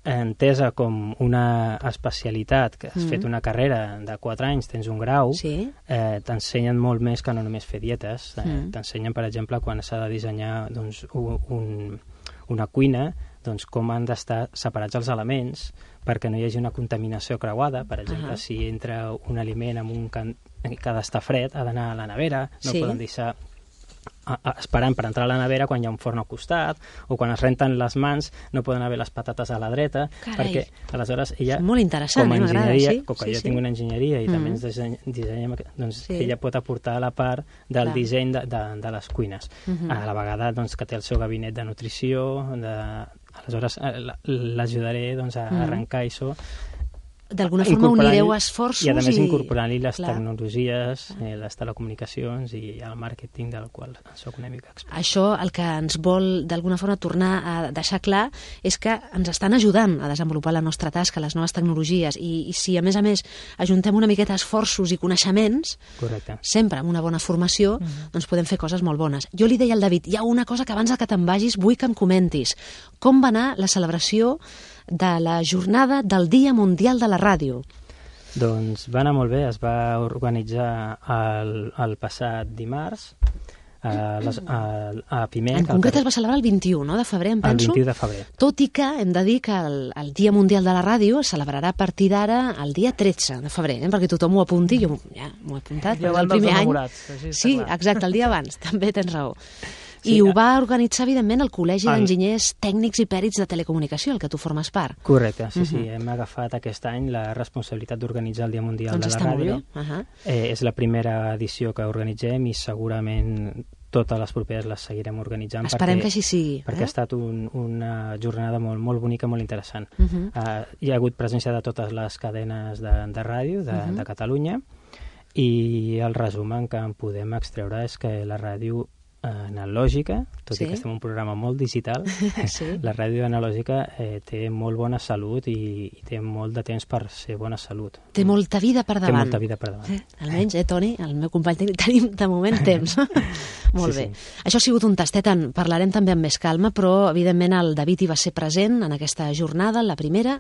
S5: entesa com una especialitat, que has fet una carrera de 4 anys, tens un grau, t'ensenyen molt més que no només fer dietes. T'ensenyen, per exemple, quan s'ha de dissenyar una cuina, com han d'estar separats els elements perquè no hi hagi una contaminació creuada. Per exemple, si entra un aliment que ha d'estar fred, ha d'anar a la nevera, no poden deixar esperant per entrar a la nevera quan hi ha un forn al costat, o quan es renten les mans no poden haver les patates a la dreta.
S2: Carai.
S5: Perquè aleshores ella,
S2: molt interessant,
S5: com a enginyeria,
S2: com
S5: que jo tinc una enginyeria i també ens dissenyem, doncs ella pot aportar la part del disseny de les cuines. A la vegada que té el seu gabinet de nutrició, aleshores l'ajudaré a arrencar això.
S2: d'alguna forma unireu esforços
S5: i a més incorporant-hi les tecnologies, les telecomunicacions i el màrqueting del qual soc una mica expert.
S2: Això el que ens vol d'alguna forma tornar a deixar clar és que ens estan ajudant a desenvolupar la nostra tasca, les noves tecnologies, i si a més ajuntem una miqueta esforços i coneixements, sempre amb una bona formació, doncs podem fer coses molt bones. Jo li deia al David, hi ha una cosa que abans que te'n vagis vull que em comentis. Com va anar la celebració de la jornada del Dia Mundial de la Ràdio?
S5: Doncs va anar molt bé, es va organitzar el passat dimarts a Piment.
S2: En concret es va celebrar el 21 de febrer, em penso.
S5: El 21 de febrer.
S2: Tot i que hem de dir que el Dia Mundial de la Ràdio es celebrarà a partir d'ara el dia 13 de febrer, perquè tothom ho apunti, jo ja m'ho he apuntat,
S6: el
S2: el primer any.
S6: Sí,
S2: exacte, el dia abans, també tens raó. I ho va organitzar, evidentment, el Col·legi d'Enginyers Tècnics i Pèrits de Telecomunicació, el que tu formes part.
S5: Correcte, sí. Hem agafat aquest any la responsabilitat d'organitzar el Dia Mundial de la Ràdio. És la primera edició que organitzem i segurament totes les properes les seguirem organitzant.
S2: Esperem que així sigui.
S5: Perquè ha estat una jornada molt bonica, molt interessant. Hi ha hagut presència de totes les cadenes de ràdio de Catalunya i el resum que en podem extreure és que la ràdio analògica, tot i que estem en un programa molt digital, la ràdio analògica té molt bona salut i té molt de temps per ser bona salut.
S2: Té molta vida per davant.
S5: Té molta vida per davant.
S2: Almenys, Toni, el meu company tècnic, tenim de moment temps. Molt bé. Això ha sigut un tastet, en parlarem també amb més calma, però evidentment el David hi va ser present en aquesta jornada, la primera,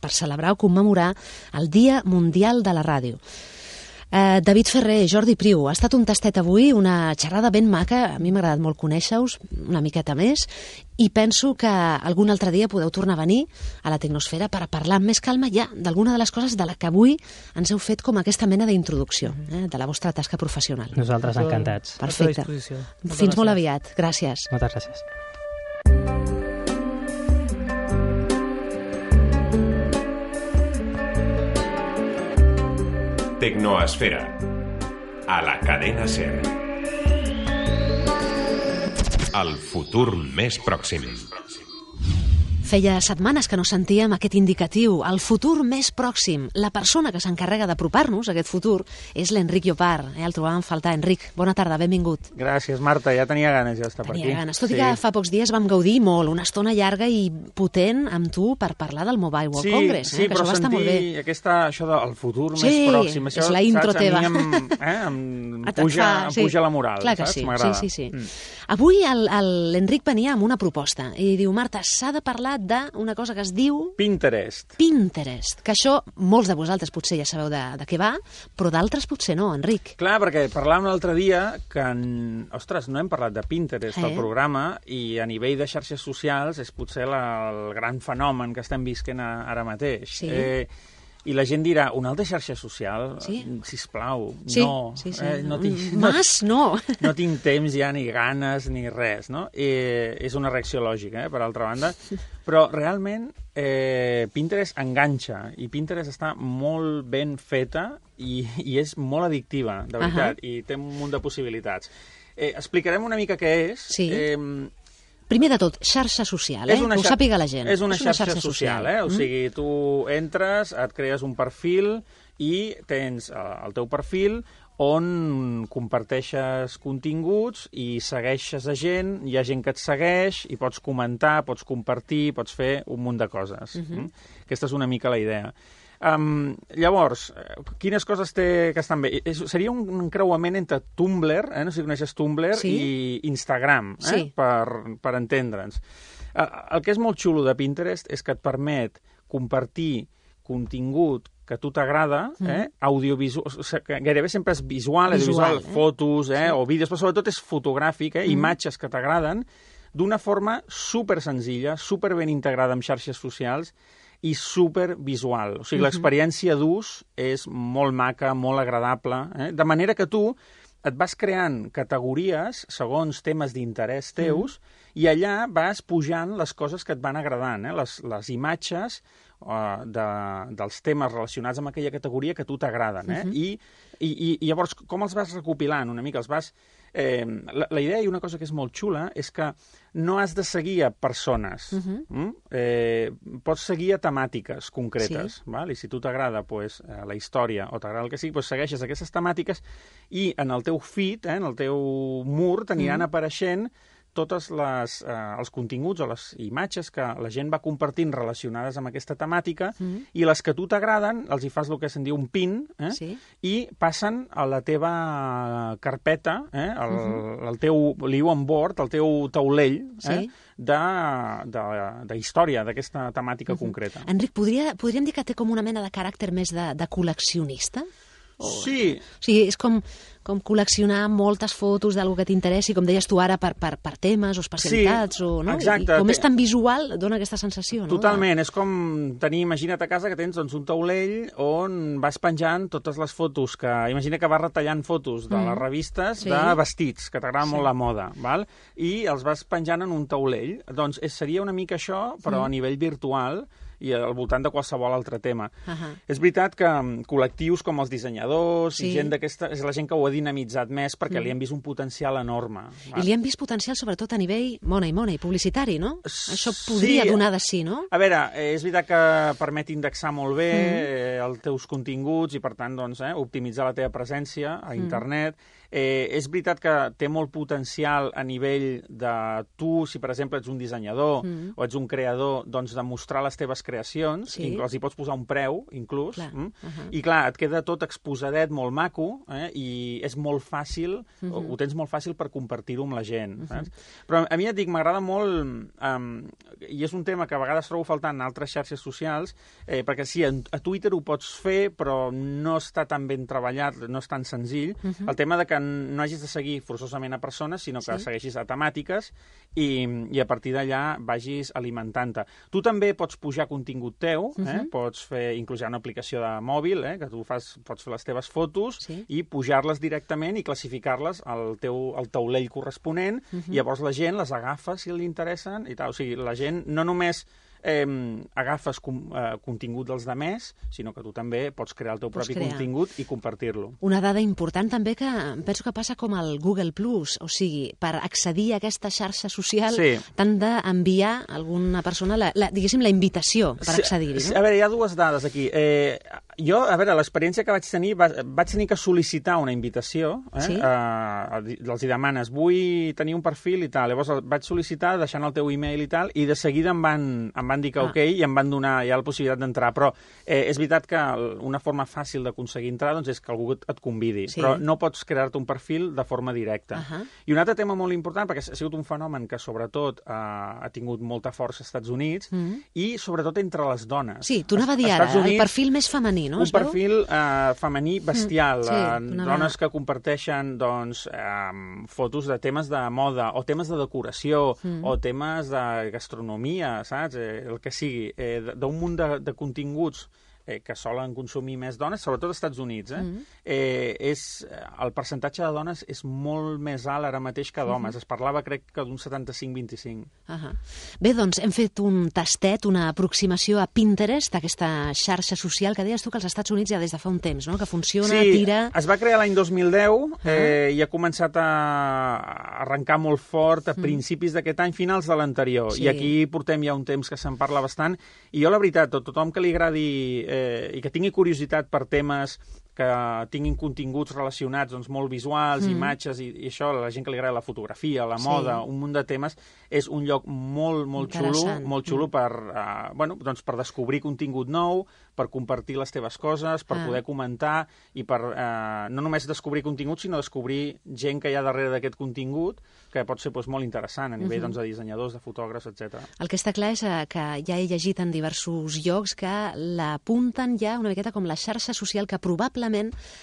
S2: per celebrar o commemorar el Dia Mundial de la Ràdio. David Ferrer, Jordi Priu, ha estat un tastet avui, una xerrada ben maca, a mi m'ha agradat molt conèixer-us una miqueta més, i penso que algun altre dia podeu tornar a venir a la Tecnosfera per parlar amb més calma ja d'alguna de les coses de la que avui ens heu fet com aquesta mena d'introducció de la vostra tasca professional.
S5: Nosaltres encantats.
S2: Perfecte. Fins molt aviat. Gràcies.
S5: Moltes gràcies.
S1: Tecnoesfera, a la cadena SER. El futur més pròxim.
S2: Feia setmanes que no sentíem aquest indicatiu, el futur més pròxim. La persona que s'encarrega d'apropar-nos a aquest futur és l'Enric Llopart. El trobàvem a faltar. Enric, bona tarda, benvingut.
S7: Gràcies, Marta, ja tenia ganes d'estar per aquí.
S2: Tenia ganes, tot i que fa pocs dies vam gaudir molt, una estona llarga i potent amb tu per parlar del Mobile World Congress.
S7: Sí,
S2: que
S7: però
S2: això va estar molt bé.
S7: això del futur més pròxim, això,
S2: és la intro teva.
S7: A mi em puja la moral,
S2: clar que
S7: saps?
S2: sí.
S7: M'agrada.
S2: Sí. Avui l'Enric venia amb una proposta i diu, Marta, s'ha de parlar d'una cosa que es diu...
S7: Pinterest,
S2: que això molts de vosaltres potser ja sabeu de què va, però d'altres potser no, Enric.
S7: Clar, perquè parlàvem l'altre dia que, ostres, no hem parlat de Pinterest al programa i a nivell de xarxes socials és potser el gran fenomen que estem visquent ara mateix.
S2: Sí.
S7: I la gent dirà, una altra xarxa social? Sisplau, no. No tinc temps ja, ni ganes, ni res, no? És una reacció lògica, per altra banda. Però realment Pinterest enganxa, i Pinterest està molt ben feta i és molt addictiva, de veritat, i té un munt de possibilitats. Explicarem una mica què és.
S2: Sí. Primer de tot, xarxa social, que ho sàpiga la gent.
S7: És una xarxa social. O sigui, tu entres, et crees un perfil i tens el teu perfil on comparteixes continguts i segueixes a gent, hi ha gent que et segueix i pots comentar, pots compartir, pots fer un munt de coses. Aquesta és una mica la idea. Llavors, quines coses té que estan bé? Seria un encreuament entre Tumblr, no sé si coneixes Tumblr, i Instagram, per entendre'ns. El que és molt xulo de Pinterest és que et permet compartir contingut que a tu t'agrada, audiovisual, que gairebé sempre és visual, fotos o vídeos, però sobretot és fotogràfic, imatges que t'agraden, d'una forma super senzilla, super ben integrada amb xarxes socials i supervisual. O sigui, l'experiència d'ús és molt maca, molt agradable, de manera que tu et vas creant categories segons temes d'interès teus i allà vas pujant les coses que et van agradant, les imatges dels temes relacionats amb aquella categoria que a tu t'agraden. I I llavors, com els vas recopilant una mica? Els vas... La idea, i una cosa que és molt xula, és que no has de seguir a persones. Pots seguir a temàtiques concretes. Val? I si tu t'agrada la història o t'agrada el que sigui, segueixes aquestes temàtiques i en el teu feed, en el teu mur, t'aniran apareixent tots els continguts o les imatges que la gent va compartint relacionades amb aquesta temàtica i les que a tu t'agraden, els hi fas el que se'n diu un pin i passen a la teva carpeta, el teu, li diu on board, el teu taulell de història d'aquesta temàtica concreta.
S2: Enric, podríem dir que té com una mena de caràcter més de col·leccionista?
S7: Sí.
S2: O sigui, és com col·leccionar moltes fotos d'algú que t'interessi, com deies tu ara, per temes o especialitats.
S7: Sí, exacte.
S2: I com és tan visual, dona aquesta sensació, no?
S7: Totalment, és com tenir, imagina't a casa que tens un taulell on vas penjant totes les fotos que... Imagina que vas retallant fotos de les revistes de vestits, que t'agrada molt la moda, val? I els vas penjant en un taulell. Doncs seria una mica això, però a nivell virtual, i al voltant de qualsevol altre tema. És veritat que col·lectius com els dissenyadors i gent d'aquesta... És la gent que ho ha dinamitzat més perquè li han vist un potencial enorme.
S2: I li han vist potencial sobretot a nivell money, publicitari, no? Això podria donar de sí, no?
S7: A veure, és veritat que permet indexar molt bé els teus continguts i, per tant, optimitzar la teva presència a internet. És veritat que té molt potencial a nivell de tu, si per exemple ets un dissenyador o ets un creador, doncs de mostrar les teves creacions, els hi pots posar un preu, inclús, i clar, et queda tot exposadet, molt maco, i és molt fàcil, ho tens molt fàcil per compartir-ho amb la gent. Però a mi et dic, m'agrada molt, i és un tema que a vegades trobo faltant en altres xarxes socials, perquè sí, a Twitter ho pots fer, però no està tan ben treballat, no és tan senzill, el tema de que no hagis de seguir forçosament a persones, sinó que segueixis a temàtiques i a partir d'allà vagis alimentant-te. Tu també pots pujar contingut teu, pots fer, inclús hi ha una aplicació de mòbil, que tu pots fer les teves fotos i pujar-les directament i classificar-les al taulell corresponent, i llavors la gent les agafa si li interessen i tal. O sigui, la gent no només agafes contingut dels demés, sinó que tu també pots crear el teu propi contingut i compartir-lo.
S2: Una dada important també que penso que passa com el Google Plus, o sigui, per accedir a aquesta xarxa social t'han d'enviar a alguna persona, diguéssim, la invitació per accedir-hi, no?
S7: A veure, hi ha dues dades aquí. Jo, a veure, l'experiència que vaig tenir que sol·licitar una invitació, els hi demanes, vull tenir un perfil i tal, llavors vaig sol·licitar deixant el teu e-mail i tal, i de seguida em van dir que ok, i em van donar ja la possibilitat d'entrar, però és veritat que una forma fàcil d'aconseguir entrar és que algú et convidi, però no pots crear-te un perfil de forma directa. I un altre tema molt important, perquè ha sigut un fenomen que sobretot ha tingut molta força als Estats Units, i sobretot entre les dones.
S2: Sí, t'ho anava a dir ara, el perfil més femení, no?
S7: Un perfil femení bestial, dones que comparteixen fotos de temes de moda, o temes de decoració, o temes de gastronomia, saps? El que sigui, d'un munt de continguts que solen consumir més dones, sobretot als Estats Units. El percentatge de dones és molt més alt ara mateix que d'homes. Es parlava, crec, que d'un 75-25.
S2: Bé, doncs hem fet un tastet, una aproximació a Pinterest, aquesta xarxa social que deies tu que als Estats Units ja des de fa un temps, no? Que funciona, tira...
S7: Sí, es va crear l'any 2010 i ha començat a arrencar molt fort a principis d'aquest any, finals de l'anterior. I aquí portem ja un temps que se'n parla bastant. I jo, la veritat, tothom que li agradi i que tingui curiositat per temes que tinguin continguts relacionats molt visuals, imatges i això, la gent que li agrada la fotografia, la moda, un munt de temes, és un lloc molt xulo per descobrir contingut nou, per compartir les teves coses, per poder comentar i per no només descobrir contingut, sinó descobrir gent que hi ha darrere d'aquest contingut, que pot ser molt interessant a nivell de dissenyadors, de fotògrafs, etc.
S2: El que està clar és que ja he llegit en diversos llocs que l'apunten ja una miqueta com la xarxa social que probablement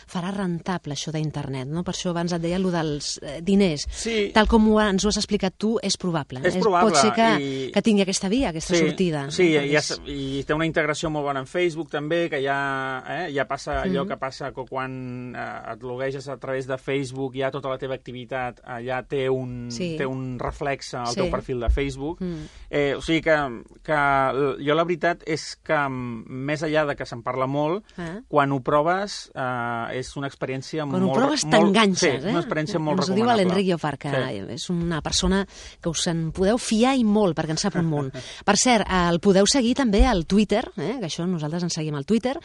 S2: farà rentable això d'internet, no? Per això abans et deia allò dels diners. Tal com ens ho has explicat tu, és probable.
S7: És probable.
S2: Pot ser que tingui aquesta via, aquesta sortida.
S7: Sí, i té una integració molt bona en Facebook, Facebook també, que ja passa allò que passa quan et logueges a través de Facebook, ja tota la teva activitat allà té un reflexe al teu perfil de Facebook. O sigui que jo la veritat és que més enllà de que se'n parla molt, quan ho proves és una experiència molt...
S2: Quan ho proves t'enganxes,
S7: Sí, una experiència molt recomanable.
S2: Ens ho diu l'Enric Llopart, que és una persona que us en podeu fiar i molt, perquè en sap un munt. Per cert, el podeu seguir també al Twitter, que això nosaltres ens seguim al Twitter,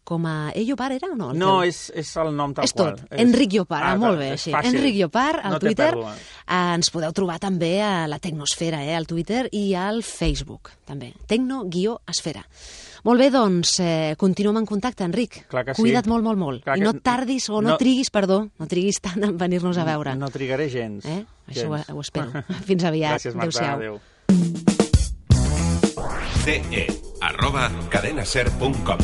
S2: com a Llopart era o no?
S7: No, és el nom tal qual.
S2: És tot, Enric Llopart, molt bé, així. Enric Llopart, al Twitter. Ens podeu trobar també a la Tecnosfera, al Twitter, i al Facebook, també. Tecno-esfera. Molt bé, doncs, continuem en contacte, Enric.
S7: Clar que sí.
S2: Cuida't molt, molt, molt. I no tardis, o no triguis tant en venir-nos a veure.
S7: No trigaré gens.
S2: Això ho espero. Fins aviat.
S7: Gràcies, Marta. Adéu.
S1: ce@cadenaser.com.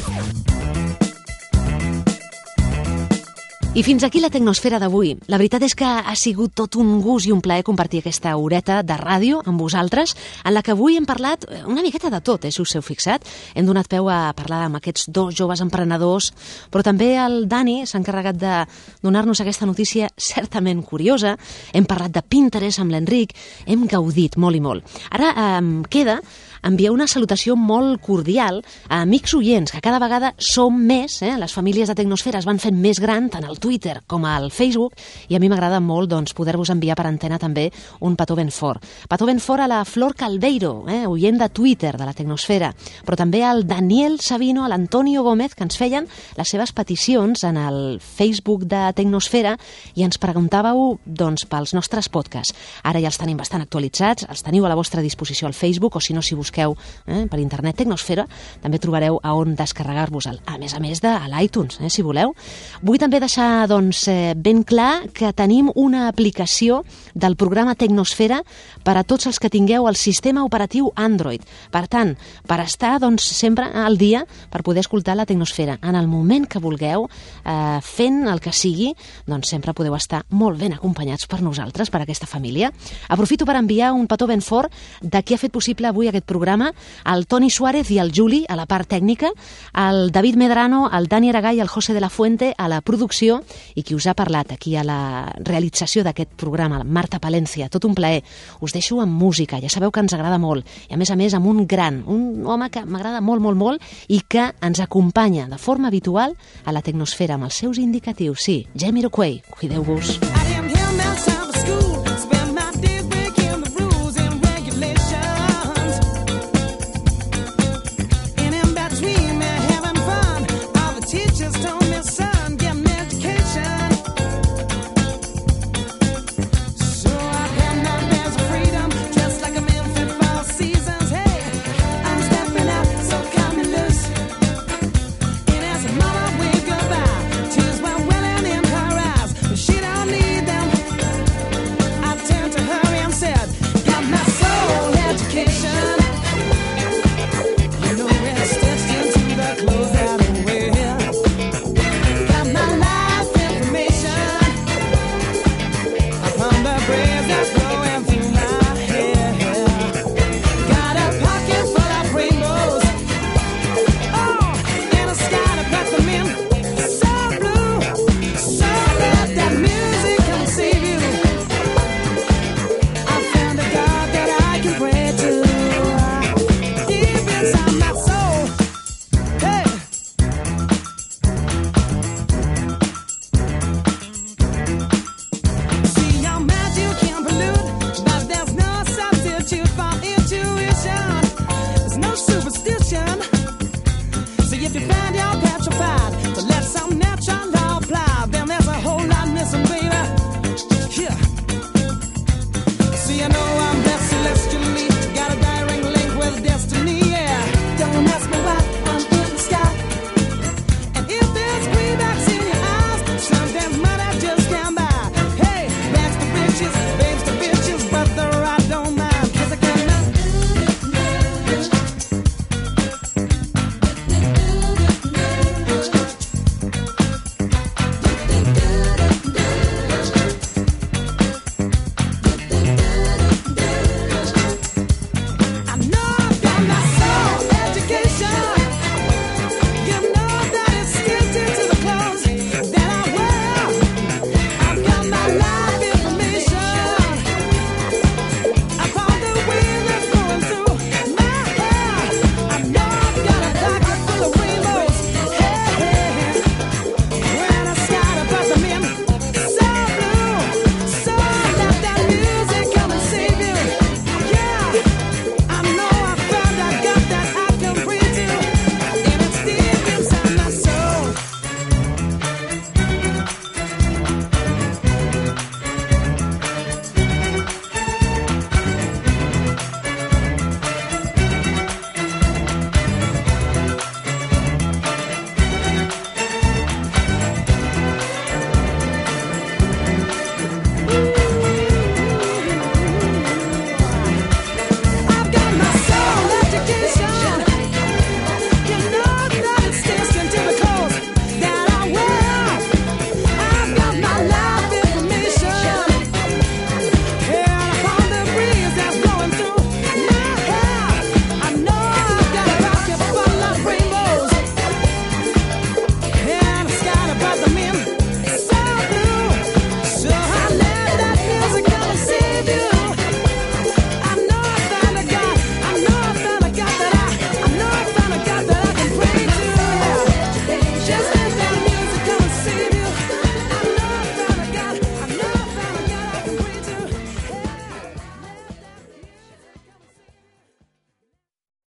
S2: I fins aquí la Tecnosfera d'avui. La veritat és que ha sigut tot un gust i un plaer compartir aquesta horeta de ràdio amb vosaltres, en la que avui hem parlat una miqueta de tot, si us heu fixat. Hem donat peu a parlar amb aquests dos joves emprenedors, però també el Dani s'ha encarregat de donar-nos aquesta notícia certament curiosa. Hem parlat de Pinterest amb l'Enric, hem gaudit molt i molt. Ara queda enviar una salutació molt cordial a amics oients, que cada vegada som més, les famílies de Tecnosfera es van fent més gran, tant al Twitter com al Facebook, i a mi m'agrada molt poder-vos enviar per antena també un petó ben fort. Petó ben fort a la Flor Caldeiro, oient de Twitter de la Tecnosfera, però també al Daniel Sabino, a l'Antonio Gómez, que ens feien les seves peticions en el Facebook de Tecnosfera i ens preguntàveu pels nostres podcasts. Ara ja els tenim bastant actualitzats, els teniu a la vostra disposició al Facebook, o si no, si busqueu per internet Tecnosfera, també trobareu a on descarregar-vos-el, a més de l'iTunes, si voleu. Vull també deixar ben clar que tenim una aplicació del programa Tecnosfera per a tots els que tingueu el sistema operatiu Android. Per tant, per estar sempre al dia, per poder escoltar la Tecnosfera en el moment que vulgueu, fent el que sigui, sempre podeu estar molt ben acompanyats per nosaltres, per aquesta família. Aprofito per enviar un petó ben fort de qui ha fet possible avui aquest programa, el Toni Suárez i el Juli a la part tècnica, el David Medrano, el Dani Aragall i el José de la Fuente a la producció, i qui us ha parlat aquí a la realització d'aquest programa, Marta Palencia. Tot un plaer. Us deixo amb música, ja sabeu que ens agrada molt, i a més amb un home que m'agrada molt, molt, molt, i que ens acompanya de forma habitual a la Tecnosfera amb els seus indicatius. Sí, Jamiroquai, cuideu-vos. That's